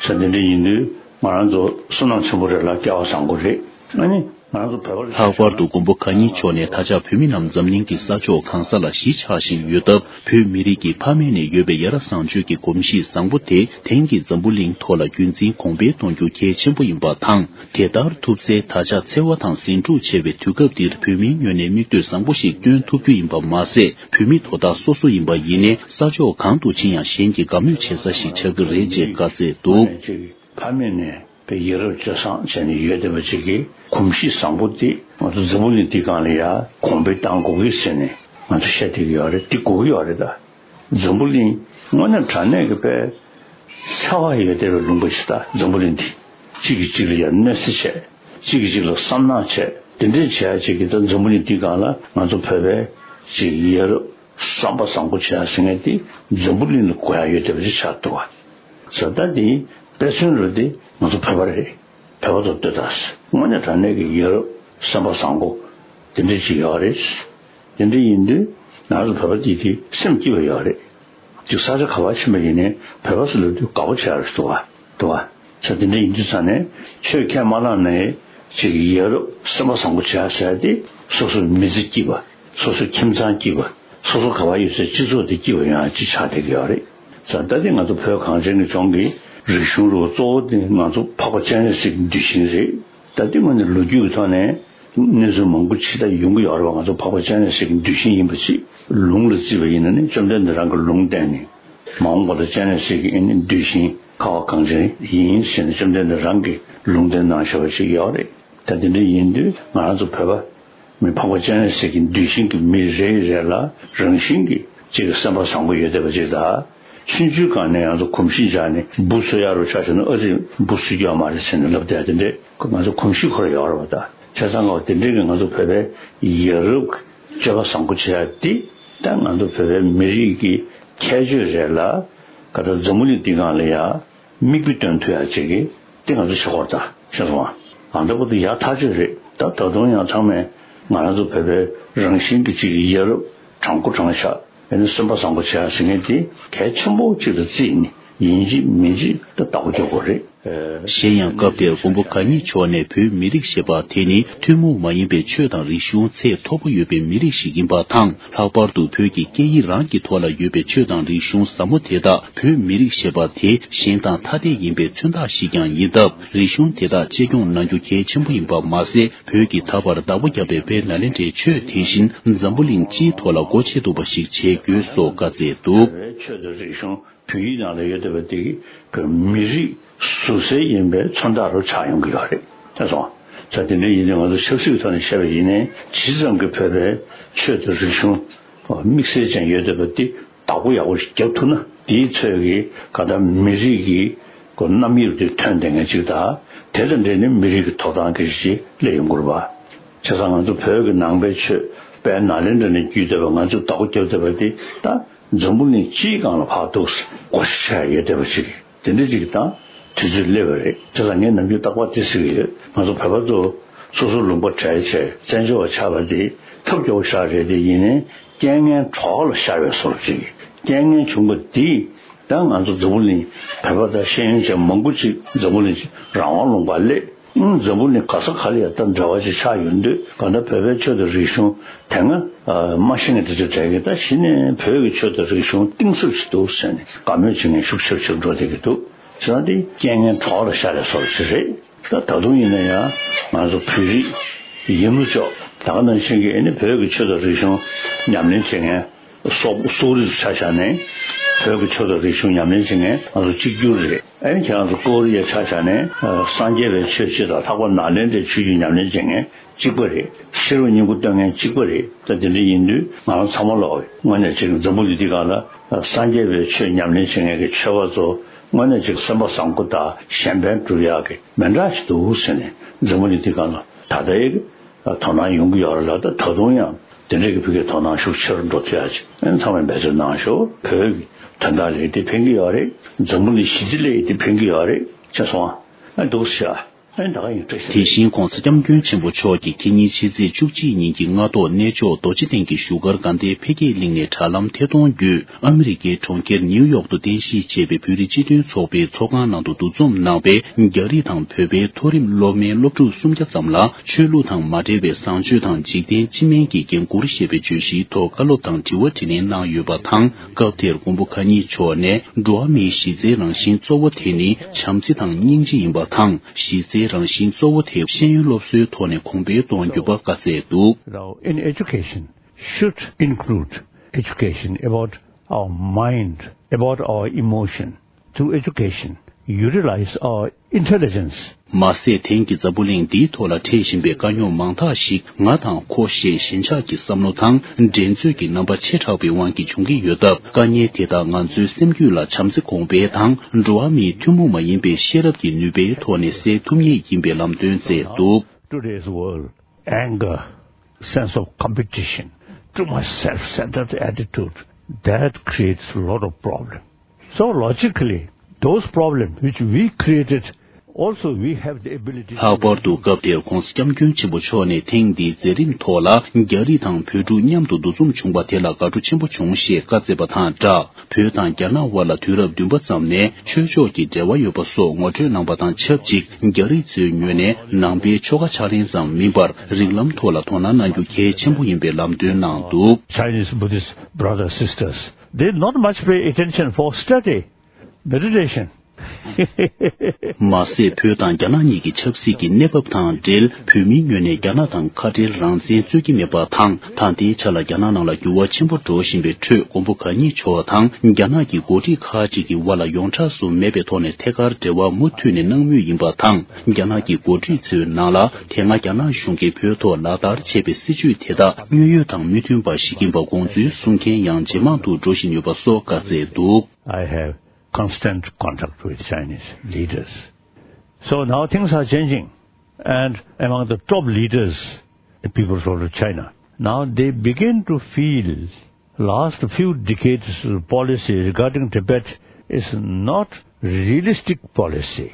ས་འདི་འདྲ་ཡིན་དུས་ང་རང་ཚོ་བསོད་ནམས་ཆེན་པོ་རེད་ལ་སྐལ་བ་བཟང་པོ་རེད། ཨ་ནི་ང་རང་ཚོ་བོད་པ་ལྷག་པར་དུ་མགོན་པོ་གང་ཉིད་མཆོག་ནས་ད་ཆ་བོད་མི་རྣམས་འཛམ་གླིང་གི་ས་ཕྱོགས་གང་ས་ལ་གཞིས་ཆགས་བཞིན་ཡོད་སྟབས། བོད་མི་རིགས་ཀྱི་ཕ་མེས་ནས་ཡོད་པའི་ཡ་རབས་བཟང་སྤྱོད་ཀྱི་གོམས་གཤིས་བཟང་པོ་དེ་དེང་གི་འཛམ་བུ་གླིང་ཐོག་ལ་རྒྱུན་འཛིན་གོང་འཕེལ་གཏོང་རྒྱུ་གལ་ཆེན་པོ་ཡིན་པ་དང་། དེ་ལྟར་ཐུབ་ཚེ་ད་ཆ་འཚེ་བ་དང་ཟིང་འཁྲུག་ཆེ་བའི་དུས་སྐབས་འདིར་བོད་མིའི་ངོས་ནས་མིག་ལྟོས་བཟང་པོ་ཞིག་སྟོན་ཐུབ་རྒྱུ་ཡིན་པ་མ་ཟད། བོད་མི་དོ་བདག་སོ་སོ་ཡིན་པ་ཡིན་ནའི་ས་ཕྱོགས་གང་དུ་ཕྱིན་ཡང་གཞན་གྱིས་དགའ་མོས་བྱེད་ས་ཞིག་ཆགས་ཀྱི་རེད་ཅེས་བཀའ་སྩལ་འདུག་ཕ་མེས་ནས་པའི་ཡ་རབས་སྤྱོད་བཟང་བྱས་ནས་ཡོད་བསྡད་པ་ཅིག་གི་གོམས་གཤིས་བཟང་པོ་དེ་ང་ཚོ་འཛམ་བུ་གླིང་འདི་སྒང་ལ་ཡ་གོང་འཕེལ་གཏང་དགོས་ཀྱི་ཟེར་ནས་ང་ཚོ་བཤད་བསྡད་ཀྱི་ཡོད་རེད། འདི་དགོས་ཀྱི་ཡོད་རེད་ད། འཛམ་བུ་གླིང་དངོས་གནས་དྲང་གནས་ཀྱི་དཔེ་འཚེ་བ་ཡོད་བསྡད་པའི་ལུང་པ་ཞིག་ད་འཛམ་བུ་གླིང་འདི། གཅིག་གིས་གཅིག་ལ་ཡ་གནོད་འཚེ་བྱས། གཅིག་གིས་གཅིག་ལ་བསམ་ནག་བྱས། དེ་འདྲས་བྱས་ཅིག་གིས་ད་འཛམ་བུ་གླིང་འདི་སྒང་ལ་ང་ཚོ་བོད་པའི་ཅིག་ཡ་རབས་བསམ་པ་བཟང་པོ་བྱས་ཟེར་མཁན་དེ་འཛམ་བུ་གླིང་ལ་གོ་ཡ་ཡོད་བསྡད་པ་ཞིག་ཆགས་འདུག་བ། ས་ད་དེ་དཔེ་མཚོན་རུ་དེ་ང་ཚོ་བོད་པ་རེད། བོད་པ་ཚོ་ལྟོས་དང་། དངོས་གནས་དྲང་གནས་ཀྱི་ཡ་རབས་བསམ་པ་བཟང་པོ་དེ་འདྲས་ཅིག་ཡོད་རེད། དེ་འདྲ་ཡིན་དུས་ང་ཚོ་བོད་པ་དེ་དེ་སེམས་སྐྱིད་པ་ཡོད་རེད། ཅིག་ས་ཆ་ག་པར་ཕྱིན་པ་ཡིན་ནའི་བོད་པ་ཚོ་ལབ་དུས་དགའ་པོ་བྱེད་ཡ་རེད་འདུག་བ། འདུག་བ། ས་དེ་འདྲ་ཡིན་དུས་ཙང་ནས་ཆོས་ཁས་མ་བླངས་ནའི་ཅིག་ཡ་རབས་བསམ་པ་བཟང་པོ་བྱེད་ཡ་ཟེར་ཡ་དེ་སོ་སོའི་མི་ཚེ་སྐྱིད་པ། སོ་སོའི་ཁྱིམ་ཚང་སྐྱིད་པ། སོ་སོ་ག་པར་ཡོད་སའི་སྤྱི་ཚོགས་དེ་སྐྱིད་པ་ཡོང་ཡ་ཅིག་ཆགས་བསྡད་ཀྱི་ཡོད་རེད། ས་ད་དེ་ང་ཚོ་བོད་གངས་ཅན་གྱི་ལྗོངས་ཀྱི་རིག་གཞུང་རུ་གཙོ་བོ་དེ་ང་ཚོ་འཕགས་པ་སྤྱན་རས་གཟིགས་ཀྱི་གདུལ་ཞིང་རེད། ད་ལྟའི་ངོས་ནས་ལོ་རྒྱུས་ཀྱི་ཐོག་ནས་གནས་ཚུལ་མང་པོ་ཅིག་ད་ཡོང་གི་ཡོད་རེད་བ། ང་ཚོ་འཕགས་པ་སྤྱན་རས་གཟིགས་ཀྱི་གདུལ་ཞིང་ཡིན་པ་ཅིག་ལུང་ལ་བརྩིས་པ་ཡིན་ན་ནི་བཅོམ་ལྡན་འདས་རང་གི་ལུང་བསྟན་ནས་མ་འོངས་པ་ལ་སྤྱན་རས་གཟིགས་ཀྱི་ཨ་ནི་གདུལ་ཞིང་ཁ་བ་གངས་ཅན་ཡིན་ཟེར་ནས་བཅོམ་ལྡན་འདས་རང་གི་ལུང་བསྟན་གནང་བཞག་པ་ཅིག་ཡོད་རེད། ད་དེ་འདྲ་ཡིན་དུས་ང་རང་ཚོ་བོད་པ་མི་འཕགས་པ་སྤྱན་རས་གཟིགས་ཀྱི་གདུལ་ཞིང་གི་མི་རེ་རེ་ལ་རང་བཞིན་གྱི་ཅིག་སེམས་པ་བཟང་པོ་ཡོད་བསྡད་པ་ཅིག་དང་། ཆུང་ཆུང་སྒང་ནས་ང་ཚོ་གོམས་གཤིས་འཇགས་ནས་འབུ་གསོད་ཡག་རུ་ཆ་བཞག་ན་ཨ་ཙི་འབུ་གསོད་རྒྱུ་ཡོད་མ་རེད་ཟེར་ནས་ལབ་བསྡད་དེ་འདྲས་ཁོ་ང་ཚོ་གོམས་གཤིས་ཁོ་ར་ཡོད་རེད་བ། ད་བྱས་ཙང་ང་དེ་འདྲས་ཀྱི་ང་ཚོ་བོད་པའི་ཡ་རབས་ཀྱི་སྤྱོད་པ་བཟང་པོ་བྱེད་ཡག་དེ་ད་ང་ཚོ་བོད་པའི་མི་རིགས་ཀྱི་ཁྱད་ཆོས་རེད་ལ་ག་ད་འཛམ་བུ་གླིང་འདི་སྒང་ལ་ཡ་མིག་དཔེ་སྟོན་ཐུབ་ཡག་ཅིག་གི་དེ་ང་ཚོ་བྱེད་དགོས་རེད་ད་ཤེས་སོང་ཨ། ཨ་འདྲ་པོ་དེ་ཡག་ཐག་ཆོད་རེད། ད་ད་དུང་ཡང་ཚང་མས་ང་རང་ཚོ་བོད་པའི་རང་བཞིན་གྱི་ཅིག་ཡ་རབས་དྲང་པོ་དྲང་བཞག་ཨ་ནི་སེམས་པ་བཟང་པོ་བྱེད་ཡག་ཟེར་མཁན་དེ་གལ་ཆེན་པོ་ཅིག་ཏུ་བརྩིས་ནས་ཡིན་གཅིག་མིན་གཅིག་ད་བདག་པོ་རྒྱག་དགོས་རེད། གཞན་ཡང་སྐབས་དེར་མགོན་པོ་གང་ཉིད་མཆོག་ནས་བོད་མི་རིགས་ཞེས་པ་དེ་ནི་ཐུན་མོང་མ་ཡིན་པའི་ཆོས་དང་རིག་གཞུང་ཚད་མཐོ་པོ་ཡོད་པའི་མི་རིགས་ཤིག་ཡིན་པ་དང་། ལྷག་པར་དུ་བོད་ཀྱི་སྐད་ཡིག་རང་གི་ཐོག་ལ་ཡོད་པའི་ཆོས་དང་རིག་གཞུང་ཟབ་མོ་དེ་དག་བོད་མི་རིགས་ཞེས་པ་དེ་གཞན་དང་ཐ་དད་ཡིན་པའི་མཚོན་རྟགས་ཤིག་ཀྱང་ཡིན་སྟབས། རིག་གཞུང་དེ་དག་གཅེས་སྐྱོང་གནང་རྒྱུ་གལ་ཆེན་པོ་ཡིན་པ་མ་ཟད། བོད་ཀྱི་ད་བར་བདག་པོ་བརྒྱབ་པའི་དཔལ་ནཱ་ལེནྡྲའི་ཆོས་དེ་བཞིན་འཛམ་བུ་གླིང་སྤྱིའི་ཐོག་ལ་སྒོ་ཕྱེ་ཐུབ་པ་ཞིག་བྱེད་དགོས་སོགས་བཀའ་སྩལ་འདུག་ཆོས་དང་རིག་གཞུང་བོད་ཡིག་ནང་ལ་ཡོད་བསྡད་པ་དེ་གི་བོད་མི་རིགས་ཟུར་གསལ་ཡིན་པའི་མཚོན་རྟགས་རུ་ཆགས་ཡོང་གི་ཡོད་རེད། ཤེས་སོང་། ས་དེ་འདྲ་ཡིན་ནའི་ང་ཚོ་ཆབ་སྲིད་ཀྱི་ཐོག་ནས་བཤད་པ་ཡིན་ནའི་ཇི་ཙམ་གྱི་བོད་པའི་ཆོས་དང་རིག་གཞུང་དམིགས་བསལ་ཅན་ཡོད་བསྡད་པ་དེ་བདག་པོ་ཡག་པོ་ཞིག་རྒྱབ་ཐུབ་ན་དེའི་ཚོད་ཀྱི་ག་ད་མི་རིགས་ཀྱི་གོ་རྣམ་དབྱེ་དེ་ཐོན་བསྡད་མཁན་ཅིག་དང་དེ་དང་འབྲེལ་ནས་མི་རིགས་ཀྱི་ཐོབ་ཐང་གི་ཞིག་སླེབས་ཡོང་གི་རེད་པ། བྱས་ཙང་ང་ཚོ་བོད་ཀྱི་ནང་པའི་ཆོས་དཔལ་ནཱ་ལེནྡྲ་ནས་བརྒྱུད་བསྡད་པ་ང་ཚོས་བདག་པོ་རྒྱབ་བསྡད་པ་དེ་ད། འཛམ་བུ་གླིང་སྤྱིའི་སྒང་ལ་ཕར་འདུག་སེ་བགོ་བཤའ་བྱས་ཡོད་བསྡད་པ་ཅིག་དེ་འདྲ་ཅིག་དང་དུས་ཚོད་སླེབས་པ་རེད། བྱས་ཙང་ངས་ནམ་རྒྱུན་རྟག་པར་དེ་ཟེར་གྱི་ཡོད། ང་ཚོ་བོད་པ་ཚོ་སོ་སོ་ལུང་པ་བྲལ་བྱས་བཙན་བྱོལ་བ་ཆགས་པ་དེ་ཐབས་སྐྱོ་བོ་ཤར་རེད་དེ་ཡིན་ནའི་རྐྱེན་ངན་གྲོགས་ལ་ཤར་བའི་བཟོ་འདྲ་ཅིག་རྐྱེན་ངན་བྱུང་བ་དེས་ད་ང་ཚོ་འཛམ་བུ་གླིང་བོད་པ་དང་ཤེས་ཡོན་ཅན་མང་པོ་ཅིག་འཛམ་བུ་གླིང་རང་དབང་ལུང་པར་སླེབས། འཛམ་བུ་གླིང་ག་ས་ག་ལ་ཡང་ད་འབྲེལ་བ་ཅིག་ཆགས་ཡོང་དུས་གང་ལྟར་བོད་པའི་ཆོས་དང་རིག་གཞུང་དེ་སྔ་མ་ཤེས་མཁན་དེ་ཚོས་གྲས་ཀྱིས་ད་གཞི་ནས་བོད་ཀྱི་ཆོས་དང་རིག་གཞུང་གཏིང་ཟབ་ཞིག་འདུག་ཟེར་ནས་དགའ་མོས་བྱེད་མཁན་ཤུགས་ཆེ་རུ་ཆེ་རུ་འགྲོ་བསྡད་ཀྱི་འདུག་བྱས་ཙང་དེ་རྐྱེན་ངན་གྲོགས་ལ་ཤར་བའི་བཟོ་འདྲ་ཞིག་རེད། ད་ད་དུང་ཡིན་ན་ཡང་ང་ཚོ་བོད་རིགས་ཡིན་ལུགས་ཅོག་ད་ག་ནང་བཞིན་གྱི་ཨེ་ནི་བོད་ཀྱི་ཆོས་དང་རིག་གཞུང་ཉམས་ལེན་བྱེད་མཁན་སོག་སོག་རིགས་ཆ་བཞག་ནས་བོད་ཀྱི་ཆོས་དང་རིག་གཞུང་ཉམས་ལེན་བྱེད་མཁན་ང་ཚོ་གཅིག་གྱུར་རེད། ཨེ་ནི་ཁྱེད་རང་ཚོ་ཀོ་རི་ཡ་ཆ་བཞག་ནས་སངས་རྒྱས་པའི་ཆོས་སྤྱི་དང་ལྷག་པར་ནཱ་ལེནྡྲའི་ཆོས་བརྒྱུད་ཉམས་ལེན་བྱེད་མཁན་གཅིག་པ་རེད། ཤེས་རབ་སྙིང་པོ་སྟོན་མཁན་གཅིག་པ་རེད། ད་དེ་འདྲ་ཡིན་དུས་ང་རང་ཚང་མ་ལོག་དངོས་གནས་ཅིག་འཛམ་བུ་གླིང་འདི་སྒང་ལ་སངས་རྒྱས་པའི་ཆོས་ཉམས་ལེན་བྱེད་མཁན་གྱི་ཆོས་པ་ཚོ་དངོས་གནས་ཅིག་སེམས་པ་བཟང་པོ་དང་གཞན་ཕན་སྒྲུབ་ཡག་གི་མི་འདྲ་ཞིག་འདུག་ཟེར་ནས་འཛམ་བུ་གླིང་འདི་སྒང་ལ་ད་ལྟའི་དོ་སྣང་ཡོང་གི་ཡོད་རེད་ལ། ད་ད་དུང་ཡང་དེ་འདྲའི་གི་ཕ་གིའི་དོ་སྣང་ཤུགས་ཆེ་རུ་འགྲོ་ཐུབ་ཡག་ཅིག་ཚང་མས་འབད་བརྩོན་གནང་ཤོག་བོད་ཀྱི་དོན་དག་ལ་ཡིན་དེ་ཕན་གྱི་ཡོད་རེད། འཛམ་བུ་གླིང་ཞི་བདེ་ལ་ཡིན་དེ་ཕན་གྱི་ཡོད་རེད། ཅེས་གསུངས་ཨ་འདུག་ཤག་ཨེ་ད་ག་ཡིན་བཀྲ་ཤིས། དེ་བཞིན་༧གོང་ས་༧སྐྱབས་མགོན་ཆེན་པོ་མཆོག་གིས་ཁ་ཉིན་ཕྱི་ཚེས་བཅུ་གཅིག་ཉིན་གྱི་སྔ་ཐོག་གནས་མཆོག་རྡོ་རྗེ་གདན་གྱི་བཞུགས་སྒར་དགའ་ལྡན་འཕེལ་རྒྱས་གླིང་ནས་དྲ་ལམ་ཐད་གཏོང་བརྒྱུད་ཨ་མི་རི་ཀའི་གྲོང་ཁྱེར་ནིའུ་ཡོག་ཏུ་རྟེན་གཞི་བྱས་པའི་བོད་རིགས་སྤྱི་མཐུན་ཚོགས་པའི་ཚོགས་ཁང་ནང་དུ་འདུ་འཛོམས་གནང་བའི་རྒྱ་རིགས་དང་བོད་པའི་མཐོ་རིམ་སློབ་མའི་སློབ་ཕྲུག་སུམ་བརྒྱ་ཙམ་ལ་ཆོས་ལུགས་དང་མ་འབྲེལ་བའི་བཟང་སྤྱོད་དང་འཇིག་རྟེན་སྤྱི་སྨན་གྱི་འགན་འཁུར་ཞེས་པའི་བརྗོད་གཞིའི་ཐོག་བཀའ་སློབ་དང་དྲི་བ་དྲིས་ལན་གནང་ཡོད་པ་དང་། སྐབས་དེར་མགོན་པོ་གང་ཉིད་མཆོག་ནས་འགྲོ་བ་མིའི་གཞི་རྩའི་རང་བཞིན་གཙོ་བོ་དེ་ནི་བྱམས་བརྩེ་དང་སྙིང་རྗེ་ཡིན་པ་དང་། གཞི་རྩའི་རང་བཞིན་གཙོ་བོ་དེ་ཤེས་ཡོན་སློབ་གསོའི་ཐོག་ནས་གོང་འཕེལ་གཏོང་རྒྱུ་པ་བཀའ་སྩལ་འདུག Now, in education, should include education about our mind, about our emotion. Through education, utilize our intelligence. མ་ཟད་དེང་གི་འཛམ་བུ་གླིང་འདིའི་ཐོག་ལ་འཕྲད་བཞིན་པའི་དཀའ་རྙོག་མང་དག་ཞིག་ང་དང་ཁོ་ཞེས་ཞེན་ཆགས་ཀྱི་བསམ་བློ་དང་འགྲན་རྩོད་ཀྱི་རྣམ་པ་ཆེ་དྲགས་པའི་དབང་གིས་བྱུང་གི་ཡོད་སྟབས། དཀའ་ངལ་དེ་དག་ང་ཚོའི་སེམས་རྒྱུད་ལ་བྱམས་བརྩེ་གོང་འཕེལ་དང་འགྲོ་བ་མིའི་ཐུན་མོང་མ་ཡིན་པའི་ཤེས་རབ་ཀྱི་ནུས་པའི་ཐོག་ནས་སེལ་ཐུབ་ངེས་ཡིན་པའི་ལམ་སྟོན་མཛད་འདུག Today's world, anger, sense of competition, too much self-centered attitude, that creates a lot of problem. So logically, those problems which we created, also we have the ability to ལྷག་པར་དུ་སྐབས་དེར་༧གོང་ས་༧སྐྱབས་མགོན་ཆེན་པོ་མཆོག་ནས་ཐེངས་འདིའི་མཛད་རིམ་ཐོག་ལ་རྒྱ་རིགས་དང་བོད་ཕྲུག་མཉམ་དུ་འདུ་འཛོམས་བྱུང་བ་དེ་ལ་དགའ་སྤྲོ་ཆེན་པོ་བྱུང་ཞེས་བཀའ་སྩལ་བ་དང་སྦྲགས། བོད་དང་རྒྱ་ནག་དབར་ལ་དུས་རབས་བདུན་པ་ཙམ་ནས་ཆོས་ཕྱོགས་ཀྱི་འབྲེལ་བ་ཡོད་པ་སོགས་ངོ་སྤྲོད་གནང་བ་དང་ཆབས་ཅིག་རྒྱ་རིགས་ཚོའི་ངོས་ནས་ནང་པའི་ཆོ་ག་ཕྱག་ལེན་ཙམ་མིན་པར་རིགས་ལམ་ཐོག་ལ་དོ་སྣང་གནང་རྒྱུ་གལ་ཆེན་པོ་ཡིན་པའི་ལམ་སྟོན་གནང་འདུག Chinese Buddhist brothers, sisters, they not much pay attention for study, meditation. མ་ཟད་བོད་དང་རྒྱ་ནག་གཉིས་ཀྱི་ཆབ་སྲིད་ཀྱི་གནས་བབ་དང་འབྲེལ་བོད་མིའི་ངོས་ནས་རྒྱ་ནག་དང་ཁ་བྲལ་རང་བཙན་རྩོད་ཀྱི་མེད་པ་དང་། ད་ལྟའི་ཆ་ལ་རྒྱ་ནག་ནང་ལ་འགྱུར་བ་ཆེན་པོ་འགྲོ་བཞིན་པའི་ཁྲོད་མགོན་པོ་གང་ཉིད་མཆོག་དང་རྒྱ་ནག་གི་འགོ་ཁྲིད་ཁག་ཅིག་གི་དབར་ལ་ཡོངས་གྲགས་སུ་མེད་པའི་ཐོག་ནས་ཐད་ཀར་འབྲེལ་བ་མུ་མཐུད་ནས་གནང་མུས་ཡིན་པ་དང་། རྒྱ་ནག་གི་འགོ་ཁྲིད་ཚོའི་ནང་ལ་དེ་སྔ་རྒྱ་ནག་གཞུང་གིས་བོད་ཐོག་ལག་བསྟར་བྱས་པའི་སྲིད་བྱུས་དེ་དག་དངོས་ཡོད་དང་མི་མཐུན་པ་ཞིག་ཡིན་པ་དགོངས་ཚུལ་གསུང་མཁན་ཡང་ཇེ་མང་དུ་འགྲོ་བཞིན་ཡོད་པ་སོགས་བཀའ་སྩལ་འདུག I have constant contact with Chinese leaders. So now things are changing. And among the top leaders, the People's Republic of China, now they begin to feel last few decades' policy regarding Tibet is not realistic policy.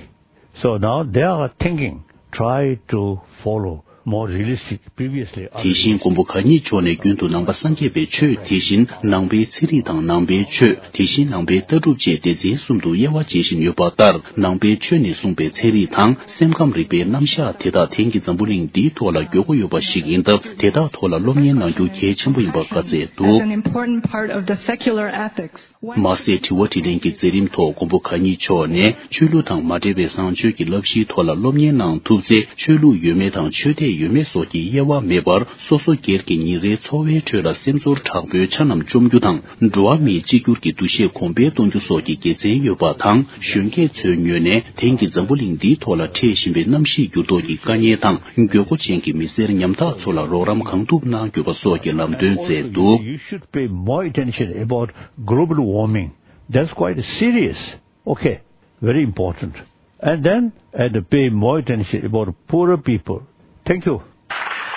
So now they are thinking, try to follow more realistic, previously དེ་བཞིན་མགོན་པོ་གང་ཉིད་མཆོག་ནས་རྒྱུན་དུ་ནང་པ་སངས་རྒྱས་པའི་ཆོས། དེ་བཞིན་ནང་པའི་ཚན་རིག་དང་ནང་པའི་ཆོས། དེ་བཞིན་ནང་པའི་ལྟ་གྲུབ་བཅས་སྡེ་ཚན་གསུམ་དུ་དབྱེ་བ་འབྱེད་བཞིན་ཡོད་པ་ལྟར། ནང་པའི་ཆོས་ནས་གསུངས་པའི་ཚན་རིག་དང་སེམས་ཁམས་རིག་པའི་རྣམ་གཞག་དེ་དག་དེང་གི་འཛམ་བུ་གླིང་འདིའི་ཐོག་ལ་དགོས་མཁོ་ཡོད་པ་ཞིག་ཡིན་སྟབས། དེ་དག་ཐོག་ལ་སློབ་གཉེར་གནང་རྒྱུ་གལ་ཆེན་པོ་ཡིན་པ་བཀའ་སྩལ་འདུག As an important part of the secular ethics. མ་ཟད་དྲི་བ་དྲིས་ལན་གྱི་མཛད་རིམ་ཐོག་མགོན་པོ་གང་ཉིད་མཆོག་ནས་ཆོས་ལུགས་དང་མ་འབྲེལ་བའི་བཟང་སྤྱོད་ཀྱི་བསླབ་གཞིའི་ཐོག་ལ་སློབ་གཉེར་གནང་ཐུབ་ཚེ། ཆོས་ལུགས་ཡོད་མེད་དང་ཆོས་དད་ཡོད་མེད་སོགས་ཀྱི་དབྱེ་བ་མེད་པར། སོ་སོ་སྒེར་གྱི་ཉིན་རེའི་འཚོ་བའི་ཁྲོད་ལ་སེམས་ཚོར་དྲག་པོའི་འཆར་རྣམས་བཅོམ་རྒྱུ་དང་། འགྲོ་བ་མིའི་གཅིག་གྱུར་གྱི་འདུ་ཤེས་གོང་འཕེལ་གཏོང་རྒྱུ་སོགས་ཀྱི་དགེ་མཚན་ཡོད་པ་དང་། གཞོན་སྐྱེས་ཚོའི་ངོས་ནས་དེང་གི་འཛམ་བུ་གླིང་འདིའི་ཐོག་ལ་འཕྲད་བཞིན་པའི་གནམ་གཤིས་འགྱུར་ལྡོག་གི་དཀའ་ངལ་དང་། དགོས་མཁོ་ཅན་གྱི་མི་སེར་ཉམ་ཐག་ཚོ་ལ་རོགས་རམ་གང་ཐུབ་གནང་དགོས་པ་སོགས་ཀྱི་ལམ་སྟོན་མཛད་འདུག You should pay more attention about global warming. That's quite serious. Okay, very important. And then, and pay more attention about poorer people. Thank you.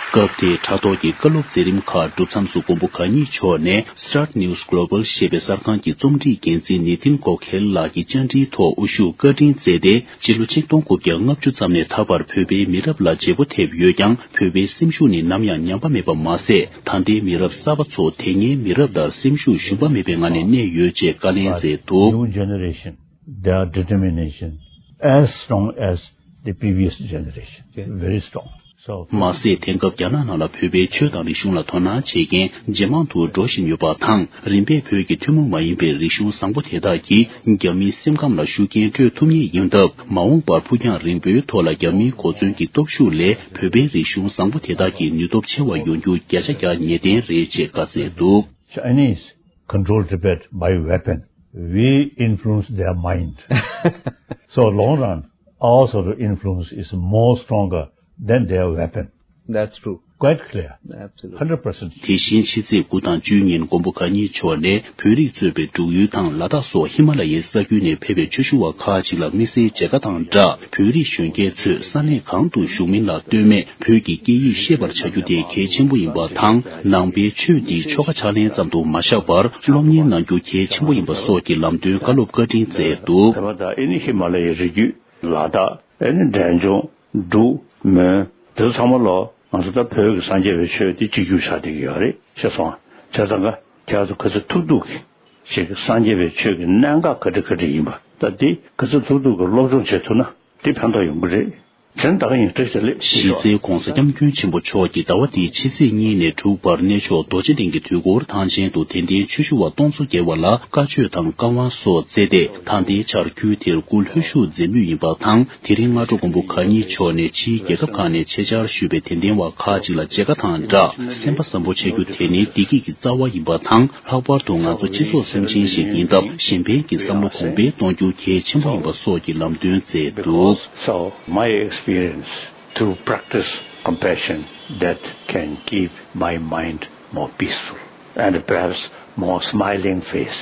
སྐབས་དེའི་དྲ་ཐོག་གི་བཀའ་སློབ་མཛད་རིམ་ཁག་གྲུབ་མཚམས་སུ་མགོན་པོ་གང་ཉིད་མཆོག་ནས་Start News Global ཞེས་པའི་གསར་ཁང་གི་རྩོམ་སྒྲིག་འགན་འཛིན་ནེ་ཐིན་གོ་ཁེལ་ལགས་ཀྱི་བཅར་འདྲིའི་ཐོག་དབུ་བཞུགས་བཀའ་དྲིན་སྩལ་ཏེ། སྤྱི་ལོ་ཆིག་སྟོང་དགུ་བརྒྱ་ལྔ་བཅུ་ཙམ་ནས་ད་བར་བོད་པའི་མི་རབས་ལ་བརྗེ་པོ་ཐེབས་ཡོད་ཀྱང་། བོད་པའི་སེམས་ཤུགས་ནི་ནམ་ཡང་ཉམས་པ་མེད་པ་མ་ཟད། ད་ལྟའི་མི་རབས་གསར་པ་ཚོ་དེ་སྔའི་མི་རབས་ལྟར་སེམས་ཤུགས་ཞུམ་པ་མེད་པའི་ངང་ནས་གནས་ཡོད་ཅེས་བཀའ་ལན་མཛད་འདུག New generation, their determination as strong as the previous generation. Very strong. མ་ཟད། དེང་སྐབས་རྒྱ་ནག་ནང་ལ་བོད་པའི་ཆོས་དང་རིག་གཞུང་ལ་དོ་སྣང་བྱེད་མཁན་ཇེ་མང་དུ་འགྲོ་བཞིན་ཡོད་པ་དང་། རིམ་པས་བོད་ཀྱི་ཐུན་མོང་མ་ཡིན་པའི་རིག་གཞུང་བཟང་པོ་དེ་དག་གིས་རྒྱ་མིའི་སེམས་ཁམས་ལ་ཤུགས་རྐྱེན་སྤྲོད་ཐུབ་ངེས་ཡིན་སྟབས། མ་འོངས་པར་ཕུགས་རྒྱང་རིང་པོའི་ཐོག་ལ་རྒྱ་མིའི་གོ་མཚོན་གྱི་སྟོབས་ཤུགས་ལས་བོད་པའི་རིག་གཞུང་བཟང་པོ་དེ་དག་གི་ནུས་སྟོབས་ཆེ་བ་ཡོང་རྒྱུ་བརྒྱ་ཆ་བརྒྱ་ངེས་གཏན་རེད་ཅེས་བཀའ་སྩལ་འདུག། Chinese control Tibet by weapon. We influence their mind. So long run, our sort of influence is more stronger than their weapon. That's true. Quite clear. Absolutely. Hundred percent. དེ་བཞིན་ཕྱི་ཚེས་དགུ་དང་བཅུའི་ཉིན་མགོན་པོ་གང་ཉིད་མཆོག་ནས་བོད་རིགས་གཙོས་པའི་འབྲུག་ཡུལ་དང་ལ་དྭགས་སོགས་ཧི་མ་ལ་ཡའི་ས་ཁུལ་ནས་ཕེབས་པའི་ཆོས་ཞུ་བ་ཁག་ཅིག་ལ་དམིགས་བསལ་མཇལ་ཁ་དང་སྦྲགས། བོད་རིགས་གཞོན་སྐྱེས་ཚོས་ས་གནས་གང་དུ་བཞུགས་མིན་ལ་ལྟོས་མེད་བོད་ཀྱི་སྐད་ཡིག་ཤེས་པར་བྱ་རྒྱུ་དེ་གལ་ཆེན་པོ་ཡིན་པ་དང་། ནང་པའི་ཆོས་འདི་ཆོ་ག་ཕྱག་ལེན་ཙམ་དུ་མ་བཞག་པར་སློབ་གཉེར་གནང་རྒྱུ་གལ་ཆེན་པོ་ཡིན་པ་སོགས་ཀྱི་ལམ་སྟོན་བཀའ་སློབ་བཀའ་དྲིན་སྩལ་འདུག། ད་ལྟ་ཨེ་ནི་ཧི་མ་ལ་ཡའི་རི་རྒྱུད། ལ་དྭགས། ཨེ་ནི་འབྲས་ལྗོངས། འབྲུག་མོན། དེ་ཚོ་ཚང་མ་ལོ་ང་ཚོ་ད་བོད་ཀྱི་སངས་རྒྱས་པའི་ཆོས་དེ་གཅིག་གྱུར་ཆགས་བསྡད་ཀྱི་ཡོད་རེད། ཤེས་སོང་ང་། བྱས་ཙང་ཀ་ཁྱེད་ཚོ་ག་ཚོད་ཐུབ་ཐུབ་ཀྱིས་ཅིག་སངས་རྒྱས་པའི་ཆོས་ཀྱི་གནད་འགག་ག་འདྲ་ག་འདྲ་ཡིན་པ། ད་དེ་ག་ཚོད་ཐུབ་ཐུབ་ཀྱིས་སློབ་སྦྱོང་བྱེད་ཐུབ་ན་དེ་ཕན་ཐོགས་ཡོང་གི་རེད། དྲན་ད་ག་ཡིན་བཀྲ་ཤིས་བདེ་ལེགས། གཞི་རྩའི་༧གོང་ས་༧སྐྱབས་མགོན་ཆེན་པོ་མཆོག་གིས་ཟླ་བ་འདིའི་ཕྱི་ཚེས་གཉིས་ནས་དྲུག་བར་གནས་མཆོག་རྡོ་རྗེ་གདན་གྱི་དུས་འཁོར་ཐང་ཆེན་དུ་དད་ལྡན་ཆོས་ཞུ་བ་སྟོང་ཚོ་བརྒལ་བ་ལ་བཀའ་ཆོས་དང་བཀའ་དབང་སོགས་སྩལ་ཏེ། ད་ལྟའི་ཆར་ཁུལ་དེར་སྐུ་ལྷོད་བཞུགས་མཛད་མུས་ཡིན་པ་དང་། དེ་རིང་སྔ་དྲོ་མགོན་པོ་གང་ཉིད་མཆོག་ནས་ཕྱིའི་རྒྱལ་ཁབ་ཁག་ནས་ཆེད་བཅར་ཞུས་པའི་དད་ལྡན་བ་ཁག་ཅིག་ལ་མཇལ་ཁ་དང་སྦྲགས། སེམས་པ་བཟང་པོ་བྱེད་རྒྱུ་དེ་ནི་བདེ་སྐྱིད་ཀྱི་རྩ་བ་ཡིན་པ་དང་། ལྷག་པར་དུ་ང་ཚོ་སྤྱི་ཚོགས་སེམས་ཅན་ཞིག་ཡིན་སྟབས། གཞན་ཕན་གྱི་བསམ་བློ་གོང་འཕེལ་གཏོང་རྒྱུ་གལ་ཆེན་པོ་ཡིན་པ་སོགས་ཀྱི་ལམ་སྟོན་སྩལ་འདུག། So, my experience to practice compassion that can keep my mind more peaceful and perhaps more smiling face.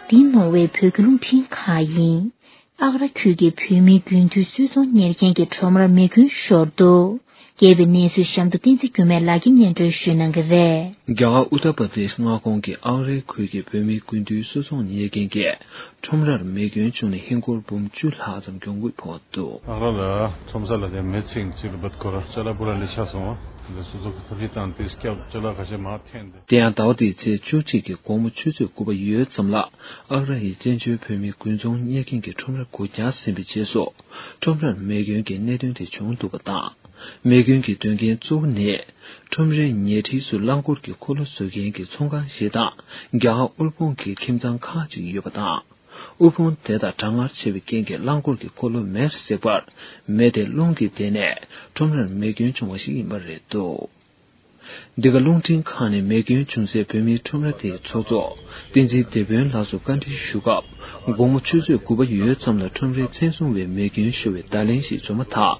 འདི་ནོར་ཝེ་བོད་ཀྱི་རླུང་འཕྲིན་ཁང་ཡིན། ཨག་ར་ཁུལ་གྱི་བོད་མིའི་དགུན་དུས་གསོལ་ཚོགས་གཉེར་མཁན་གྱི་ཁྲོམ་རར་མེ་སྐྱོན་ཤོར་འདུག། རྒྱས་པའི་གནས་ཚུལ་གཤམ་དུ་བསྟན་འཛིན་འགྱུར་མེད་ལགས་ཀྱིས་སྙན་སྒྲོན་ཞུ་གནང་གི་རེད། རྒྱ་གར་ཨུ་ཏར་པར་དེཤ་མངའ་ཁོངས་ཀྱི་ཨག་རའི་ཁུལ་གྱི་བོད་མིའི་དགུན་དུས་གསོལ་ཚོགས་གཉེར་མཁན་གྱི་ཁྲོམ་རར་མེ་སྐྱོན་བྱུང་ནས་ཧིན་སྒོར་འབུམ་བཅུ་ལྷག་ཙམ་གྱོང་གུད་ཕོག་འདུག། ཨག་ར་ལ་ཁྲོམ་ས་ལ་དེ་མེ་ཚིག་ཅིག་ལ་བད་ཁོ་ར་ཅ་ལག་པུ་ར་ལི་ཆ་སོང་བ། དེ་སོ་སོ་གི་ཐུགས་རྗེ་དང་དེ་སྐྱབས་ཅ་ལག་ཁ་ཤས་མ་འཐེན་ཏེ། དེ་ཡང་ཟླ་བ་འདིའི་ཚེས་བཅུ་གཅིག་གི་དགོང་མོ་ཆུ་ཚོད་དགུ་པ་ཡོལ་ཙམ་ལ། ཨག་ར་ཡི་བཙན་བྱོལ་བོད་མིའི་དགུན་ཚོང་གཉེར་མཁན་གྱི་ཁྲོམ་ར་དགུ་བརྒྱ་ཟིན་པའི་རྗེས་སུ། ཁྲོམ་རར་མེ་སྐྱོན་གྱི་གནད་དོན་དེ་བྱུང་འདུག་པ་དང་། མེ་སྐྱོན་གྱི་དོན་རྐྱེན་གཙོ་བོ་ནི། ཁྲོམ་རའི་ཉེ་འཁྲིས་སུ་རླངས་འཁོར་གྱི་འཁོར་ལོ་བཟོ་མཁན་གྱི་ཚོང་ཁང་ཞིག་དང་། རྒྱ་གར་དབུལ་ཕོངས་ཀྱི་ཁྱིམ་ཚང་ཁག་ཅིག་ཡོད་པ་དང་། དབུལ་ཕོངས་དེ་དག་གྲང་ངར་ཆེ་བའི་རྐྱེན་གྱིས་རླངས་འཁོར་གྱི་འཁོར་ལོ་མེར་བསྲེགས་པར། མེ་དེ་རླུང་གིས་བདས་ནས་ཁྲོམ་རར་མེ་སྐྱོན་བྱུང་བ་ཞིག་ཡིན་པ་རེད་འདུག། འདི་ག་རླུང་འཕྲིན་ཁང་ནས་མེ་སྐྱོན་བྱུང་སའི་བོད་མིའི་ཁྲོམ་ར་དེའི་ཚོགས་གཙོ་བསྟན་འཛིན་བདེ་དཔོན་ལགས་སུ་བཀའ་འདྲི་ཞུ་སྐབས། དགོང་མོ་ཆུ་ཚོད་དགུ་པ་ཡོལ་ཙམ་ལ་ཁྲོམ་རའི་མཚན་སྲུང་བས་མེ་སྐྱོན་ཤོར་བའི་བརྡ་ལན་ཞིག་བཟོས་མ་ཐག།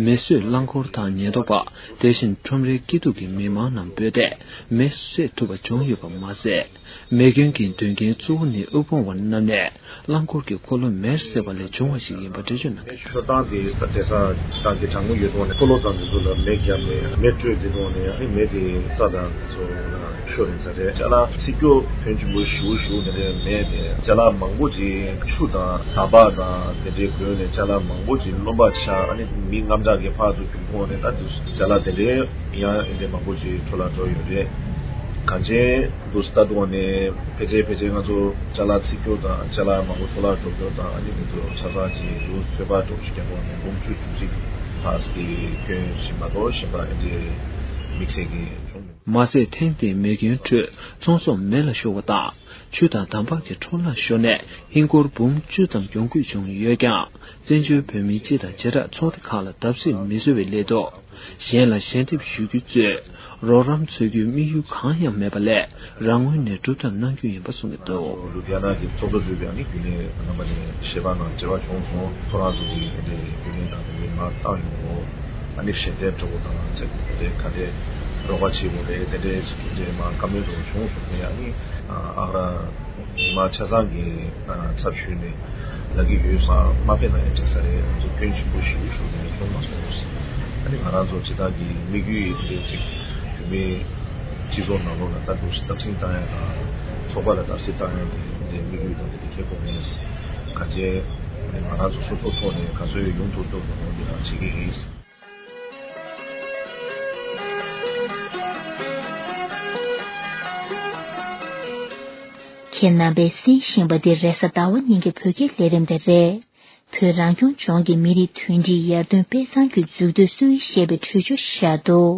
མེ་གསོད་རླངས་འཁོར་དང་ཉེན་རྟོག་པ། དེ་བཞིན་ཁྲོམ་རའི་སྐྱིད་སྡུག་གི་མི་མང་རྣམས་སྤོས་ཏེ། མེ་གསོད་ཐུབ་པ་བྱུང་ཡོད་པ་མ་ཟད། མེ་སྐྱོན་གྱི་དོན་རྐྱེན་གཙོ་བོ་ནི་དབུལ་ཕོངས་པ་རྣམས་ནས་རླངས་འཁོར་གྱི་འཁོར་ལོ་མེར་བསྲེགས་པ་ལས་བྱུང་བ་ཞིག་ཡིན་པ་འགྲེལ་བརྗོད་གནང་གི་འདུག། ཤོར་སྟངས་དེ་ད་དེང་སང་ད་གི་གྲང་མོ་ཡོད་དུས་ནས་འཁོར་ལོ་དང་དེ་ཚོ་ལ་མེ་བརྒྱབ་ནས་མེ་དཀྲོལ་དེ་དུས་ནས་ཨ་ནི་མེ་དེ་རྩྭ་དང་དེ་ཚོ་ལ་ཤོར་ཡིན་ས་རེད། ཅ་ལག་ཚིག་སྐྱོ་ཕོན་ཆེན་པོ་ཞེ་པོ་ཞེ་པོ་དེ་འདྲའི་མེ་དེ་ཅ་ལག་མང་པོ་ཅིག་ཆུ་དང་ད་སྦག་དང་དེ་འདྲའི་གོན་ནས་ཅ་ལག་མང་པོ་ཅིག་རློན་པ་ཆགས། ཨ་ནི་མི་དངངས་སྐྲག་གི་ཕར་ཚུར་རྒྱུག་ཐོག་ནས་ད་དེ་ཅ་ལག་དེ་འདྲའི་ཡང་དེ་འདྲའི་མང་པོ་ཅིག་འཕྲོ་བརླག་འགྲོ་ཡོད་རེད། གངས་ཅན་དུ་ལྟ་དུས་ནས་ཕལ་ཆེར་ཕལ་ཆེར་ང་ཚོ་ཅ་ལག་ཚིག་སྐྱོ་དང་ཅ་ལག་མང་པོ་འཕྲོ་བརླག་འགྲོ་རྒྱུ་དང་ཨ་ནི་དེ་ཚོ་ཆ་ཚང་གཅིག་ཏུ་ཚོད་དཔག་འགྲོ་ཞིག་རྒྱག་པ་ནས་འབུམ་བཅུ་བཅུ་གཅིག་ལྷག་ཙམ་སྐྱོན་ཞིག་མ་གཏོགས་གཞན་པ་ཨེ་འདྲའི་དམིགས་བསལ་གྱི་བྱུང་མི་འདུག། མ་ཟད་ཐེངས་འདིའི་མེ་སྐྱོན་ཁྲོད་ཚོང་ཟོག་མེ་ལ་ཤོར་བ་དང་ཆུ་དང་འདམ་བག་གི་འཕྲོ་བརླག་ཤོར་ནས་ཧིན་སྒོར་འབུམ་བཅུ་ཙམ་གྱོང་གུད་བྱུང་ཡོད་ཀྱང་། བཙན་བྱོལ་བོད་མིའི་སྤྱི་དང་བྱེ་བྲག་ཚོགས་སྡེ་ཁག་ལ་བརྡབ་གསིག་མི་བཟོ་བའི་སླད་དུ། གཞན་ལ་ཞལ་འདེབས་ཞུ་རྒྱུ་གཙོས་རོགས་རམ་འཚོལ་རྒྱུའི་དམིགས་ཡུལ་གང་ཡང་མེད་པ་ལས་རང་ངོས་ནས་སྒྲུབ་ཐབས་གནང་རྒྱུ་ཡིན་པ་གསུངས་ཀྱི་འདུག། ལུ་དྷི་ཡ་ན་གི་ཚོགས་གཙོ་གཙོས་པའི་ཨ་ནི་རྒྱུན་ལས་རྣམ་པ་ནས་ཞལ་པར་ནང་འབྲེལ་བ་བྱུང་སོང་། ཁོ་རང་ཚོ་གི་དེ་འདྲའི་རྒྱུན་ལས་དང་དེ་འདྲའི་མར་བཏང་ཡོང་འོ། ཨ་ནི་ཞལ་འདེབས་འདྲ་བོ་དང་ཚེ་དེ་ག་འདྲའི་རོགས་པ་བྱེད་དགོས་རེད། དེ་འདྲའི་དེ་འདྲའི་མར་བཀའ་མོལ་འདྲ་བོ་བྱུང་སོང་། དེ་ཨ་ནི་ཨ་ར་མི་མང་ཆ་ཚང་གི་ཚབ་ཞུས་ནས་ལབ་ཀྱི་ཡོད་ཙང་མ་ཕེབས་ན་ཡང་འགྲིག་ས་རེད། ང་ཚོ་སྐྱོན་ཆེན་པོ་ཞེ་པོ་ཞིག་ནས་བྱུང་མ་སོང་། ཨ་ནི་ང་རང་ཚོ་སྤྱི་བཏང་གི་དམིགས་ཡུལ་ཡིན་པའི་ཚིག་བོད་མིའི་སྤྱི་ཚོགས་ནང་ལོགས་ལ་ལྟ་འདུག་བརྡབ་གསིག་བཏང་ཡ་དང་ཚོགས་པ་ལ་བརྡབ་གསིག་བཏང་ཡ་དེ་དེ་དམིགས་ཡུལ་དང་དེ་དེ་ཁྱད་པར་མེད། ག་ཅེ་ང་རང་ཚོ་སོ་སོ་ཐོག་ནས་ག་ཚོད་ཡོང་ཐུབ་ཐུབ་ཐུབ་འོང་དེ་རང་བྱེད་ཀྱི་ཡིན། ཁྱེད་རྣམ་པས་གསན་བཞིན་པ་འདི་རེས་གཟའ་ཟླ་བ་ཉིན་གྱི་བོད་སྐད་ལས་རིམ་དེ་རེད། བོད་རང་སྐྱོང་ལྗོངས་ཀྱི་མི་རིགས་མཐུན་སྒྲིལ་ཡར་ཐོན་དཔེ་བཟང་ཁུལ་འཛུགས་གཏོད་སྲོལ་ཡིག་ཞེས་པའི་གྲོས་ཆོད་བཞག་འདུག་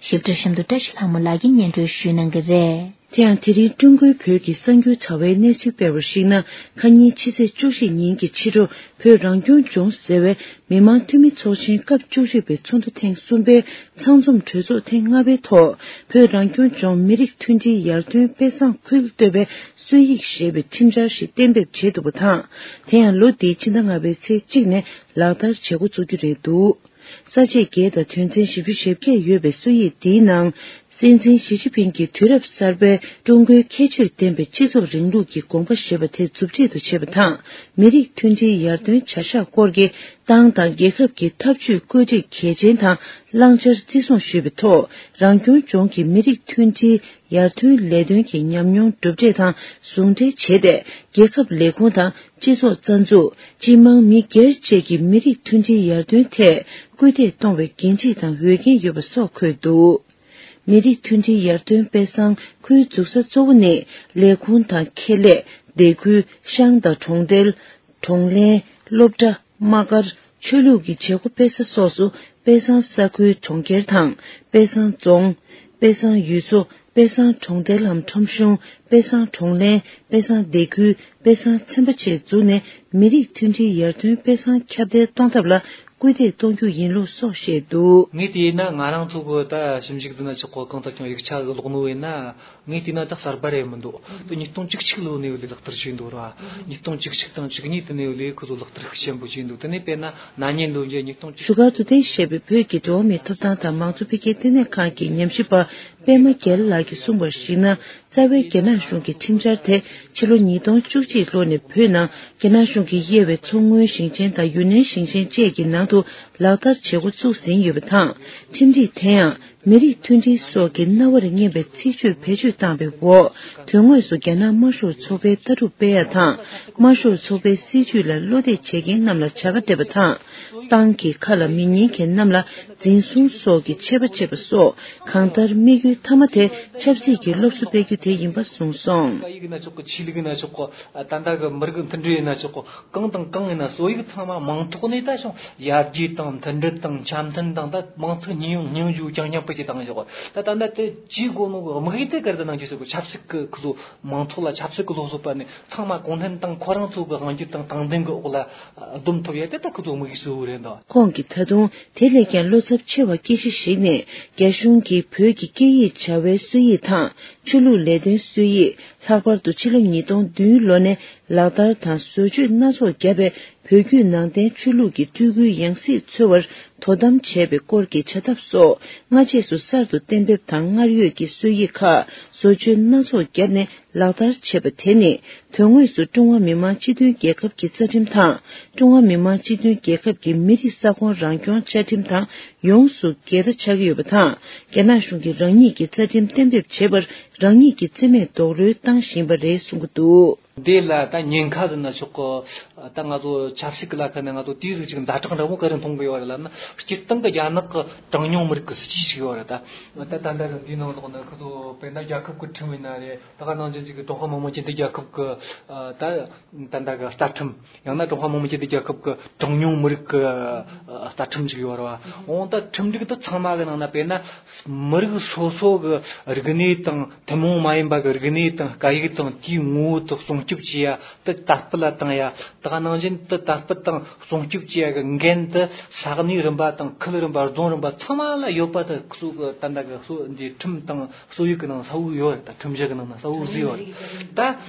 ཞིབ་ཕྲ་གཤམ་དུ་བཀྲ་ཤིས་ལྷ་མོ་ལགས་ཀྱིས་སྙན་སྒྲོན་ཞུ་གནང་གི་རེད། དེ་ཡང་དེ་རིང་ཀྲུང་གོའི་བོད་ཀྱི་གསར་འགྱུར་དྲ་བའི་གནས་ཚུལ་སྤེལ་བར་གཞིགས་ན། ཁ་ཉིན་ཕྱི་ཚེས་བཅུ་བཞི་ཉིན་གྱི་ཕྱི་དྲོ། བོད་རང་སྐྱོང་ལྗོངས་ཟེར་བའི་མི་དམངས་འཐུས་མི་ཚོགས་ཆེན་སྐབས་བཅུ་གཅིག་པའི་ཚོགས་འདུ་ཐེངས་གསུམ་པའི་ཚང་འཛོམས་གྲོས་ཚོགས་ཐེངས་ལྔ་པའི་ཐོག་བོད་རང་སྐྱོང་ལྗོངས་མི་རིགས་མཐུན་སྒྲིལ་ཡར་ཐོན་དཔེ་བཟང་ཁུལ་གཏོད་པའི་སྲོལ་ཡིག་ཞེས་པའི་ཁྲིམས་འཆར་ཞིག་གཏན་འབེབས་བྱས་འདུག་པ་དང་། དེ་ཡང་ལོ་འདིའི་ཕྱི་ཟླ་ལྔ་པའི་ཚེས་གཅིག་ནས་ལག་བསྟར་བྱེད་འགོ་བཙུགས་རྒྱུ་རེད་འདུག་ས་བཅད་བརྒྱད་དང་དོན་ཚན་བཞི་བཅུ་ཞེ་བརྒྱད་ཡོད་པའི་སྲོལ་ཡིག་འདིའི་ནང་། སྲིད་འཛིན་ཞི་ཅིན་ཕིང་གིས་དུས་རབས་གསར་པའི་ཀྲུང་གོའི་ཁྱད་ཆོས་ལྡན་པའི་སྤྱི་ཚོགས་རིང་ལུགས་ཀྱི་དགོངས་པ་ཞེས་པ་དེ་མཛུབ་ཁྲིད་དུ་བྱས་པ་དང་། མི་རིགས་མཐུན་སྒྲིལ་ཡར་ཐོན་བྱ་གཞག་སྐོར་གྱི་ཏང་དང་རྒྱལ་ཁབ་ཀྱི་ཐབས་ཇུས་བཀོད་སྒྲིག་གལ་ཆེན་དང་བླང་བྱར་བརྩི་སྲུང་ཞུས་པའི་ཐོག་རང་སྐྱོང་ལྗོངས་ཀྱི་མི་རིགས་མཐུན་སྒྲིལ་ཡར་ཐོན་ལས་དོན་གྱི་ཉམས་མྱོང་གྲུབ་འབྲས་དང་ཟུང་འབྲེལ་བྱས་ཏེ། རྒྱལ་ཁབ་ལས་ཁུངས་དང་། སྤྱི་ཚོགས་རྩ་འཛུགས། སྤྱི་དམངས་མི་སྒེར་བཅས་ཀྱི་མི་རིགས་མཐུན་སྒྲིལ་ཡར་ཐོན་ཐད་སྐུལ་འདེད་གཏོང་བའི་འགན་འཁྲི་དང་འོས་འགན་ཡོད་པ་སོགས་འཁོད་འདུག་མི་རིགས་མཐུན་སྒྲིལ་ཡར་ཐོན་དཔེ་བཟང་ཁུལ་འཛུགས་ས་གཙོ་བོ་ནི་ལས་ཁུངས་དང་ཁེ་ལས། སྡེ་ཁུལ། ཤང་དང་གྲོང་རྡལ། གྲོང་ལྷན། སློབ་གྲྭ། དམག་སྒར། ཆོས་ལུགས་ཀྱི་བྱེད་སྒོ་སྤེལ་ས་སོགས་སུ་དཔེ་བཟང་ས་ཁུལ་གྲོང་ཁྱེར་དང་། དཔེ་བཟང་རྫོང་། དཔེ་བཟང་ཡུལ་ཚོ། དཔེ་བཟང་གྲོང་རྡལ་ལམ་ཁྲོམ་གཞུང་། དཔེ་བཟང་གྲོང་ལྷན། དཔེ་བཟང་སྡེ་ཁུལ། དཔེ་བཟང་ཚན་པ་བཅས་བཙུགས་ནས་མི་རིགས་མཐུན་སྒྲིལ་ཡར་ཐོན་དཔེ་བཟང་ཁྱབ་གདལ་གཏོང་ཐབས་ལ་སྐུལ་འདེད་གཏོང་རྒྱུ་ཡིན་ལུགས་སོགས་བཤད་འདུག་ངས་དེ་ཡིན་ན་ང་རང་ཚོ་གི་ད་ཞིབ་འཇུག་དེ་ན་ཆོག་གོ་གང་ལྟར་ཀྱང་ཡིག་ཆ་གི་ཀློག་ནོ་ཡིན་ན། ངས་བལྟས་ན་ད་གསར་པ་རེད་མི་འདུག་དེ་ཉིས་སྟོང་བཅུ་གཅིག་ལོ་ནས་ལས་ལག་བསྟར་བྱས་འདུག་ར། ཉིས་སྟོང་བཅུ་གཅིག་དང་བཅུ་གཉིས་དེ་ནས་ལས་ཁོ་ཚོ་ལག་བསྟར་ཤུགས་ཆེན་པོ་བྱས་འདུག་དེ་ནས་དཔེར་ན་ན་ནིང་ལོ་འདིའི་ཉིས་སྟོང་བཅུ། བཞུགས་སྒར་དུ་གཏན་བཞེས་པའི་བོད་ཀྱི་འགྲོ་བ་མིའི་ཐོབ་ཐང་དང་མང་གཙོ་འཕེལ་རྒྱས་ལྟེ་གནས་ཁང་གི་ཉམས་ཞིབ་པ་པད་མ་རྒྱལ་ལགས་ཀྱིས་གསུངས་པར་གཞིགས་ན། རྩ་བའི་རྒྱ་ནག་གཞུང་གི་ཁྲིམས་འཆར་དེ་ཕྱི་ལོ་ཉིས་སྟོང་བཅུ་གཅིག་ལོ་ནས་བོད་ནང་རྒྱ་ནག་གཞུང་གིས་དབྱེ་བའི་མཚོ་སྔོན་ཞིང་ཆེན་དང་ཡུན་ནན་ཞིང་ཆེན་བཅས་ཀྱི་ནང་དུ་ལག་བསྟར་བྱེད་འགོ་བཙུགས་ཟིན་ཡོད་པ་དང་། ཁྲིམས་སྒྲིག་དེ་ཡང་མི་རིགས་མཐུན་སྒྲིལ་སོགས་ཀྱི་རྣ་བར་སྙན་པའི་ཚིག་བརྗོད་བེད་སྤྱོད་བཏང་བའི་འོག་དོན་དངོས་སུ་རྒྱ་ནག་དམར་ཤོག་ཚོགས་པའི་ལྟ་གྲུབ་སྤེལ་ཡ་དང་། དམར་ཤོག་ཚོགས་པའི་སྲིད་བྱུས་ལ་བློ་གཏད་བྱེད་མཁན་རྣམས་ལ་བྱ་དགའ་སྤྲད་པ་དང་། ཏང་གི་ཁ་ལ་མི་ཉན་མཁན་རྣམས་ལ་འཛིན་བཟུང་སོགས་ཀྱི་ཆད་པ་བཅད་པ་སོགས། གང་ལྟར་དམིགས་ཡུལ་མཐའ་མ་དེ་ཆབ་སྲིད་ཀྱི་སློབ་གསོ་སྤེལ་རྒྱུ་དེ་ཡིན་པ་གསུངས་སོང་། སྐད་ཡིག་ན་ཆོག་གི། ཆོས་ལུགས་ཡིན་ན་ཆོག་གི། ད་ལྟ་གི་མི་རིགས་མཐུན་སྒྲིལ་ཡིན་ན་ཆོག་གི། གང་དང་གང་ཡིན་ན་སྲོལ་ཡིག་ཚང་མ་མིང་ཐོག་ནས་ད་བྱུང་ཡར་རྒྱས་དང་མཐུན་སྒྲིལ་དང་འཆམ་མཐུན་དང་ད་མིང་ཚིག་སྙིང་སྙིང་རྗེ་རྐྱང་རྐྱང་པོ་ཅིག་བཏང་ཆོག་གི། ད་ད་ལྟ་དེ་ཅིའི་སྒོ་ནས་དམིགས་ཡུལ་དེ་ག་རེ་ད་གནང་རྒྱུ་ཟེར་གི། ཆབ་སྲིད་ཀྱི་ཁོ་ཚོ་མིང་ཐོག་ལ་ཆབ་སྲིད་ཀྱི་སློབ་གསོ་སྤེལ་ནས་ཚང་མ་གུང་ཁྲན་ཏང་ཁོ་རང་ཚོ་གི་དབང་སྒྱུར་དང་དྲང་བདེན་གྱི་འོག་ལ་སྡོམ་ཐུབ་ཡ་དེ་ད་ཁོ་ཚོ་དམིགས་ཡུལ་གཙོ་བོ་རེད་འདུག་ཁོང་གིས་ད་དུང་དེ་ལས་ཀྱང་བློ་འཚབ་ཆེ་བ་སྐྱེ་གཞི་ཞིག་ནི། རྒྱ་གཞུང་གིས་བོད་ཀྱི་སྐད་ཡིག་བྱ་བའི་སྲོལ་ཡིག་དང་། ཆོས་ལུགས་ལས་དོན་སྲོལ་ཡིག་ལྷག་པར་དུ་ཕྱི་ལོ་ཉིས་སྟོང་བདུན་ལོ་ནས་ལག་བསྟར་དང་བཟོ་བཅོས་སྣ་ཚོགས་བརྒྱབ་པའི་བོད་བརྒྱུད་ནང་བསྟན་ཆོས་ལུགས་ཀྱི་སྤྲུལ་སྐུའི་ཡང་སྲིད་འཚོལ་བར་དོ་དམ་བྱས་པའི་སྐོར་གྱི་བྱ་ཐབས་སོགས། སྔ་རྗེས་སུ་གསར་དུ་གཏན་འབེབས་དང་སྔར་ཡོད་ཀྱི་སྲོལ་ཡིག་ཁག་བཟོ་བཅོས་སྣ་ཚོགས་བརྒྱབ་ནས། ལག་བསྟར་བྱས་པ་དེ་ནི། དོན་དངོས་སུ་ཀྲུང་ཧྭ་མི་དམངས་སྤྱི་མཐུན་རྒྱལ་ཁབ་ཀྱི་རྩ་ཁྲིམས་དང་། ཀྲུང་ཧྭ་མི་དམངས་སྤྱི་མཐུན་རྒྱལ་ཁབ་ཀྱི་མི་རིགས་ས་ཁོངས་རང་སྐྱོང་བཅའ་ཁྲིམས་དང་ཡོངས་སུ་འགལ་ཟླ་ཆགས་ཀྱི་ཡོད་པ་དང་། རྒྱ་ནག་གཞུང་གིས་རང་ཉིད་ཀྱི་རྩ་ཁྲིམས་གཏན་འབེབས་བྱེད་པར་རང་ཉིད་ཀྱི་རྩིས་མེད་རྡོག་རོལ་བཏང་བཞིན་པ་རེད་གསུང་གི་འདུག་འདི་ལ་ད་ཉེན་ཁ་ཟེར་ན་ཆོག་གི། ད་ང་ཚོ་ཆབ་སྲིད་ཀྱི་ལ་ཁ་ནས་ང་ཚོ་དེའི་ཟིག་ཅིག་ཛ་དྲག་འདྲ་པོ་ག་རེ་མཐོང་གི་ཡོད་རེད་ལབ་ན། སྤྱིར་བཏང་གི་རྒྱ་ནག་གི་གྲངས་ཉུང་མི་རིགས་ཀྱི་སྲིད་ཇུས་ཤིག་ཡོད་རེད། ད་ད་ད་ལྟ་གི་འདིའི་ནང་ལོགས་ན་ཁོ་ཚོ་དཔེར་ན་རྒྱལ་ཁབ་ཀྱི་ཁྲིམས་ཡིན་ན་རེད། ད་ག་ནང་བཞིན་ཅིག་གི་ཀྲུང་ཧྭ་མི་དམངས་སྤྱི་མཐུན་རྒྱལ་ཁབ་ཀྱི་ད་ད་ལྟ་གི་རྩ་ཁྲིམས། ཡང་ན་ཀྲུང་ཧྭ་མི་དམངས་སྤྱི་མཐུན་རྒྱལ་ཁབ་ཀྱི་གྲངས་ཉུང་མི་རིགས་ཀྱི་རྩ་ཁྲིམས་ཅིག་ཡོད་རེད་བ། འོང་ད་ཁྲིམས་སྒྲིག་དེ་ཚང་མ་གི་ནང་ན་དཔེར་ན་མི་རིགས་སོ་སོ་གི་རིག་གནས་དང་ཐུན་མོང་མ་ཡིན་པ་གི་རིག་གནས་དང་སྐད་ཡིག་དང་དེའི་ངོ་བོ་དེ་སྲུང་སྐྱོབ་བྱེད་ཡ་དེ་དར་སྤེལ་ལ་བཏང་ཡ། ད་ག་ནང་བཞིན་དེ་དར་སྤེལ་དང་སྲུང་སྐྱོབ་བྱེད་ཡ་གི་འགན་དེ་ས་གནས་རིམ་པ་དང་ཁུལ་རིམ་པ་རྫོང་རིམ་པ་ཚང་མ་ལ་ཡོད་པ་དེ་ཁོ་ཚོ་གི་ད་ལྟ་གི་སྲོལ་འདི་ཁྲིམས་དང་སྲོལ་ཡིག་གི་ནང་གསལ་བོ་ཡོད་རེད། ད་ཁྲིམས་གཞི་གི་ནང་ན་གསལ་བོ་བཟོས་ཡོད་རེད། ད་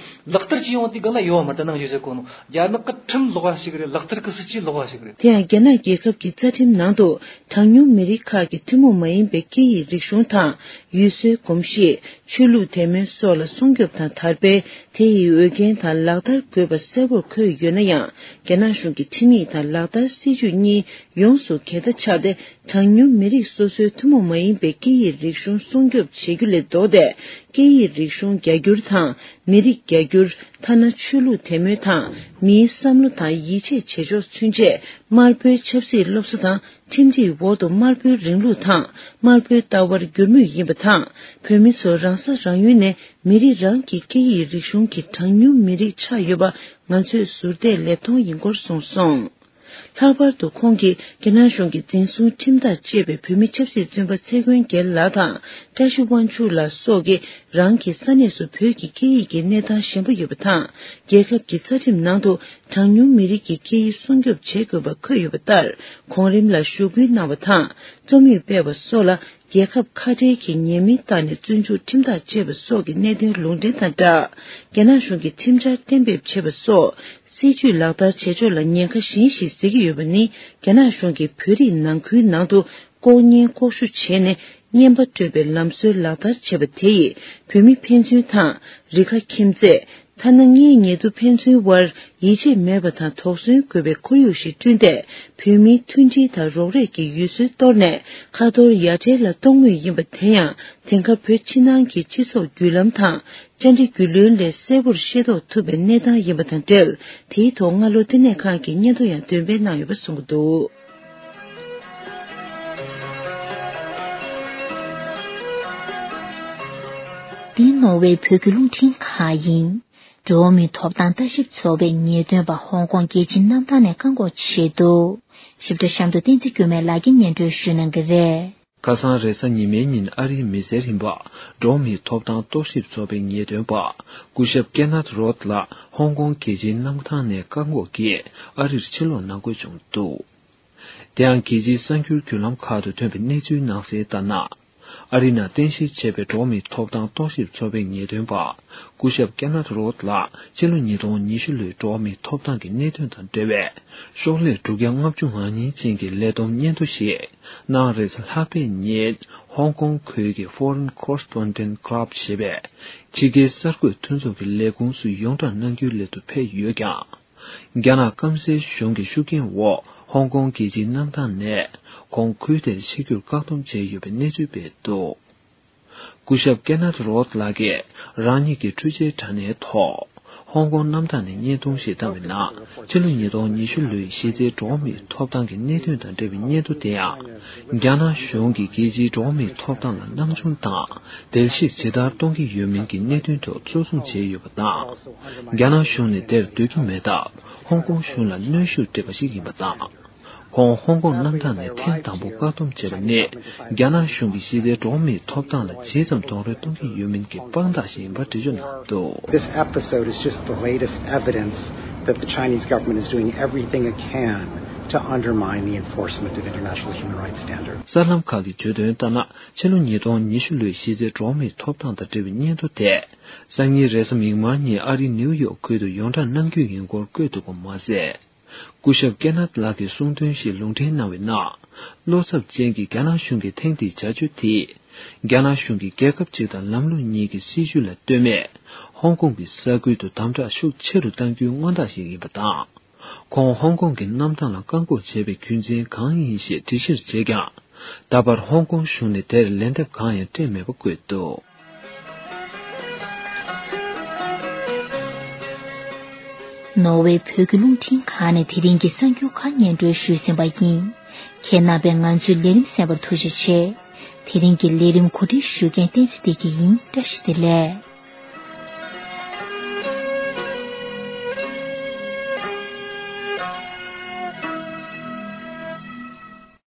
ལག་བསྟར་བྱེད་ཡོང་དུས་གང་ལ་ཡོད་མ་རེད། ད་ནང་བཞིན་ཟེར་གོ་ནོ་རྒྱ་ནག་གི་ཁྲིམས་ལོགས་པ་ཞིག་རེད། ལག་བསྟར་གི་སྲིད་ཇུས་ལོགས་པ་ཞིག་རེད། དེ་ཡང་རྒྱ་ནག་རྒྱལ་ཁབ་ཀྱི་རྩ་ཁྲིམས་ནང་དུ་གྲངས་ཉུང་མི་རིགས་ཁག་གི་ཐུན་མོང་མ་ཡིན་པའི་སྐད་ཡིག་རིག་གཞུང་དང་ཡུལ་སྲོལ་གོམས་གཤིས། ཆོས་ལུགས་དད་མོས་སོགས་ལ་སྲུང་སྐྱོབ་དང་དར་སྤེལ། དེ་ཡི་འོས་འགན་དང་ལག་བསྟར་དགོས་པ་གསལ་པོར་འཁོད་ཡོད་ན་ཡང་། རྒྱ་ནག་གཞུང་གི་ཁྲིམས་ཡིག་དང་ལག་བསྟར་སྲིད་ཇུས་གཉིས་ཡོངས་སུ་འགལ་ཟླ་ཆགས་ཏེ། གྲངས་ཉུང་མི་རིགས་སོ་སོའི་ཐུན་མོང་མ་ཡིན་པའི་སྐད་ཡིག་རིག་གཞུང་སྲུང་སྐྱོབ་བྱེད་རྒྱུ་ལས་ལྡོག་སྟེ། སྐད་ཡིག་རིག་གཞུང་རྒྱ་སྒྱུར་དང་མི་རིགས་རྒྱ་སྒྱུར། ཐ་ན་ཆོས་ལུགས་དད་མོས་དང་མིའི་བསམ་བློ་དང་ཡིད་ཆེས་བྱེད་ཕྱོགས་ཚུན་ཆད་དམར་པོའི་ཆབ་སྲིད་སློབ་གསོ་དང་ ཁྲིམས་སྒྲིག་འོག་ཏུ་དམར་པོའི་རིང་ལུགས་དང་དམར་པོའི་ལྟ་བར་འགྱུར་མུས་ཡིན་པ་དང་། བོད་མི་ཚོ་རང་ས་རང་ཡུལ་ནས་མི་རིགས་རང་གི་སྐད་ཡིག་རིག་གཞུང་གི་གྲངས་ཉུང་མི་རིགས་ཆགས་ཡོད་པ་ང་ཚོས་ཟུར་བལྟས་ལེབ་མཐོང་ཡིན་སྐོར་གསུངས་སོང་། ལྷག་པར་དུ་ཁོང་གིས་རྒྱ་ནག་གཞུང་གི་འཛིན་བཟུང་ཁྲིམས་ཐག་བཅད་པའི་བོད་མི་ཆབ་སྲིད་བཙོན་པ་ཚེ་མགོན་རྒྱལ་ལགས་དང་བཀྲ་ཤིས་དབང་ཕྱུག་ལགས་སོགས་ཀྱིས་རང་གི་ས་གནས་སུ་བོད་ཀྱི་སྐད་ཡིག་གི་གནས་སྟངས་ཞན་པོ་ཡོད་པ་དང་། རྒྱལ་ཁབ་ཀྱི་རྩ་ཁྲིམས་ནང་དུ་གྲངས་ཉུང་མི་རིགས་ཀྱི་སྐད་ཡིག་སྲུང་སྐྱོབ་བྱེད་དགོས་པ་འཁོད་ཡོད་པ་ལྟར། གོང་རིམ་ལ་ཞུ་སྐུལ་གནང་བ་དང་རྩོམ་ཡིག་སྤེལ་བ་སོགས་ལ། རྒྱལ་ཁབ་ཁ་བྲལ་གྱི་ཉེས་མིང་བཏགས་ནས་བཙོན་འཇུག་ཁྲིམས་ཐག་བཅད་པ་སོགས་ཀྱི་གནད་དོན་ལུང་འདྲེན་དང་སྦྲགས། རྒྱ་ནག་གཞུང་གིས་ཁྲིམས་འཆར་གཏན་འབེབས་བྱས་པ་སོགས་སྲིད་ཇུས་ལག་བསྟར་བྱེད་ཕྱོགས་ལ་ཉེན་ཁ་གཞན་ཞིག་གཟིགས་ཀྱི་ཡོད་པ་ནི། རྒྱ་ནག་གཞུང་གིས་བོད་རིགས་ནང་ཁུལ་ནང་དུ་ལྐོག་ཉན་ལྐོག་ཞུ་བྱས་ནས་རྔན་པ་སྤྲོད་པའི་ལམ་སྲོལ་ལག་བསྟར་བྱས་པ་དེ་ཡིས་བོད་མི་ཕན་ཚུན་དང་རིགས་ཁ་ཁྱིམ་མཚེས། ཐ་ན་ངའི་ཉེ་དུ་ཕན་ཚུན་དབར་ཡིད་ཆེས་མེད་པ་དང་དོགས་ཟོན་དགོས་པའི་ཁོར་ཡུག་ཞིག་བསྐྲུན་ཏེ། བོད་མིའི་མཐུན་སྒྲིལ་དང་རོགས་རེས་ཀྱི་ཡུལ་སྲོལ་གཏོར་ནས་ཁ་ཐོར་ཡ་བྲལ་ལ་གཏོང་མུས་ཡིན་པ། དེ་ཡང་དེང་སྐབས་བོད་ཕྱི་ནང་གི་སྤྱི་ཚོགས་བརྒྱུད་ལམ་དང་བཅར་འདྲི་བརྒྱུད་ལམ་ལས་གསལ་པོར་ཤེས་རྟོགས་ཐུབ་པའི་གནས་སྟངས་ཡིན་པ་དང་འབྲེལ། དེའི་ཐོག་སྔ་ལོ་བསྟི་གནས་ཁང་གིས་སྙན་ཐོ་ཡང་འདོན་སྤེལ་གནང་ཡོད་པ་གསུངས་ཀྱི་འདུག། འདི་ནོར་ཝེ་བོད་ཀྱི་རླུང་འཕྲིན་ཁང་ཡིན། འགྲོ་བ་མིའི་ཐོབ་ཐང་ལྟ་ཞིབ་ཚོགས་པའི་ངེས་སྟོན་པ་ཧོང་ཀོང་རྒྱལ་སྤྱིའི་གནམ་ཐང་ནས་བཀག་འགོག་བྱས་འདུག། ཞིབ་ཕྲ་གཤམ་དུ་བསྟན་འཛིན་སྐྱོ་མེད་ལགས་ཀྱིས་སྙན་སྒྲོན་ཞུ་གནང་གི་རེད། ཁ་སང་རེས་གཟའ་ཉི་མའི་ཉིན་ཨ་རིའི་མི་སེར་ཡིན་པ་འགྲོ་བ་མིའི་ཐོབ་ཐང་རྟོག་ཞིབ་ཚོགས་པའི་ངེས་སྟོན་པ་སྐུ་ཞབས་ཀེ་ནཐ་རོད་ལགས་ཧོང་ཀོང་རྒྱལ་སྤྱིའི་གནམ་ཐང་ནས་བཀག་འགོག་གིས་ཨ་རིར་ཕྱིར་ལོག་གནང་དགོས་བྱུང་འདུག། དེ་ཡང་རྒྱལ་སྤྱིའི་གསར་འགྱུར་བརྒྱུད་ལམ་ཁག་ཏུ་ཐོན་པའི་གནས་ཚུལ་ནང་གསལ་ལྟར་ན། ཨ་རི་ནང་རྟེན་གཞི་བྱས་པའི་འགྲོ་བ་མིའི་ཐོབ་ཐང་རྟོག་ཞིབ་ཚོགས་པའི་ངེས་སྟོན་པ་སྐུ་ཞབས་ཀེ་ནཐ་རོད་ལགས་ཕྱི་ལོ་ཉིས་སྟོང་ཉི་ཤུ་ལོའི་འགྲོ་བ་མིའི་ཐོབ་ཐང་གི་གནད་དོན་དང་འབྲེལ་བའི་ཤོག་ལྷེ་དྲུག་བརྒྱ་ལྔ་བཅུ་ང་གཉིས་ཅན་གྱི་ལས་བསྡོམས་སྙན་ཐོ་ཞིག་གནངས་རེས་གཟའ་ལྷག་པའི་ཉིན་ཧོང་ཀོང་ཁུལ་གྱི་Foreign Correspondent Club ཞེས་པའི་ཕྱི་རྒྱལ་གསར་འགོད་མཐུན་ཚོགས་ཀྱི་ལས་ཁུངས་སུ་ཡོངས་གྲགས་གནང་རྒྱུའི་སླད་དུ་ཕེབས་ཡོད་ཀྱང་། རྒྱ་ནག་སྐམ་སའི་གཞུང་གི་ཤུགས་རྐྱེན་འོག་ཧོང་ཀོང་རྒྱལ་སྤྱིའི་གནམ་ཐང་ནས་ཁོང་ཁུལ་དེར་ཕྱིར་འགྱུར་བཀག་སྡོམ་བྱས་ཡོད་པའི་གནས་ཚུལ་སྤེལ་འདུག། སྐུ་ཞབས་ཀེ་ནཐ་རོད་ལགས་ཀྱིས་རང་ཉིད་ཀྱི་འཕྲུལ་ཆས་དྲ་གནས་ཐོག་ཧོང་ཀོང་གནམ་ཐང་ནས་བརྙན་ཐུང་ཞིག་བཏང་བའི་ནང་ཕྱི་ལོ་ཉིས་སྟོང་ཉི་ཤུ་ལོའི་གཞི་རྩའི་འགྲོ་བ་མིའི་ཐོབ་ཐང་གི་གནད་དོན་དང་འབྲེལ་བའི་སྙན་ཐོ་དེ་ཡང་། རྒྱ་ནག་གཞུང་གིས་རྒྱལ་སྤྱིའི་འགྲོ་བ་མིའི་ཐོབ་ཐང་ལ་སྣང་ཆུང་དང་བརྡལ་བཤིག་ཇི་ལྟར་གཏོང་གི་ཡོད་མིན་གྱི་གནད་དོན་ཐོག་གཙོ་བཟུང་བྱས་ཡོད་པ་དང་། རྒྱ་ནག་གཞུང་ནས་དེར་འདོད་ཀྱི་མེད་སྟབས་ཧོང་ཀོང་གཞུང་ལ་གནོན་ཤུགས་སྤྲད་པ་ཞིག་ཡིན་པ་དང་། ཁོང་ཧོང་ཀོང་གནམ་ཐང་ནས་ཐེངས་དང་པོ་བཀག་སྡོམ་བྱས་པ་ནི་རྒྱ་ནག་གཞུང་གིས་གཞི་རྩའི་འགྲོ་བ་མིའི་ཐོབ་ཐང་ལ་ཇི་ཙམ་རྡོག་རོལ་གཏོང་གི་ཡོད་མིན་གྱི་དཔང་རྟགས་ཤིག་ཡིན་པ་འགྲེལ་བརྗོད་གནང་འདུག། This episode is just the latest evidence that the Chinese government is doing everything it can to undermine the enforcement of international human rights standards. གསར་ལམ་ཁག་གིས་བརྗོད་དོན་ལྟར་ན། ཕྱི་ལོ་ཉིས་སྟོང་ཉི་ཤུ་ལོའི་གཞི་རྩའི་འགྲོ་བ་མིའི་ཐོབ་ཐང་དང་འབྲེལ་བའི་སྙན་ཐོ་དེ། སང་ཉིན་རེས་གཟའ་མིག་དམར་ཉིན་ཨ་རིའི་ནིའུ་ཡོག་ཁུལ་དུ་ཡོངས་གྲགས་གནང་རྒྱུ་ཡིན་སྐོར་བཀོད་འདུག་པ་མ་ཟད། སྐུ་ཞབས་ཀེ་ནཐ་ལགས་ཀྱིས་གསུངས་དོན་ཞིག་ལུང་འདྲེན་གནང་བའི་ནང་། བློ་འཚབ་ཅན་གྱི་རྒྱ་ནག་གཞུང་གི་ཐེངས་འདིའི་བྱ་སྤྱོད་དེས། རྒྱ་ནག་གཞུང་གིས་རྒྱལ་ཁབ་ཅིག་དང་ལམ་ལུགས་གཉིས་ཀྱི་སྲིད་བྱུས་ལ་ལྟོས་མེད། ཧོང་ཀོང་གི་ས་ཁུལ་དུ་དམ་དྲག་ཤུགས་ཆེ་རུ་གཏང་རྒྱུའི་མངོན་རྟགས་ཤིག་ཡིན་པ་དང་། ཁོང་ཧོང་ཀོང་གི་གནམ་ཐང་ལ་བཀག་འགོག་བྱས་པའི་རྒྱུ་མཚན་གང་ཡིན་ཞེས་འདྲི་གཞིར་བྱས་ཀྱང་། ད་བར་ཧོང་ཀོང་གཞུང་ནས་དེར་ལན་འདེབས་གང་ཡང་སྤྲད་མེད་པ་བཀོད་འདུག། ནོར་ཝེ་བོད་ཀྱི་རླུང་འཕྲིན་ཁང་ནས་དེ་རིང་གི་གསར་འགྱུར་ཁག་སྙན་སྒྲོན་ཞུས་ཟིན་པ་ཡིན། ཁྱེད་རྣམ་པས་ང་ཚོའི་ལས་རིམ་གསན་པར་ཐུགས་རྗེ་ཆེ། དེ་རིང་གི་ལས་རིམ་གོ་སྒྲིག་ཞུ་མཁན་བསྟན་འཛིན་བདེ་སྐྱིད་ཡིན། བཀྲ་ཤིས་བདེ་ལེགས།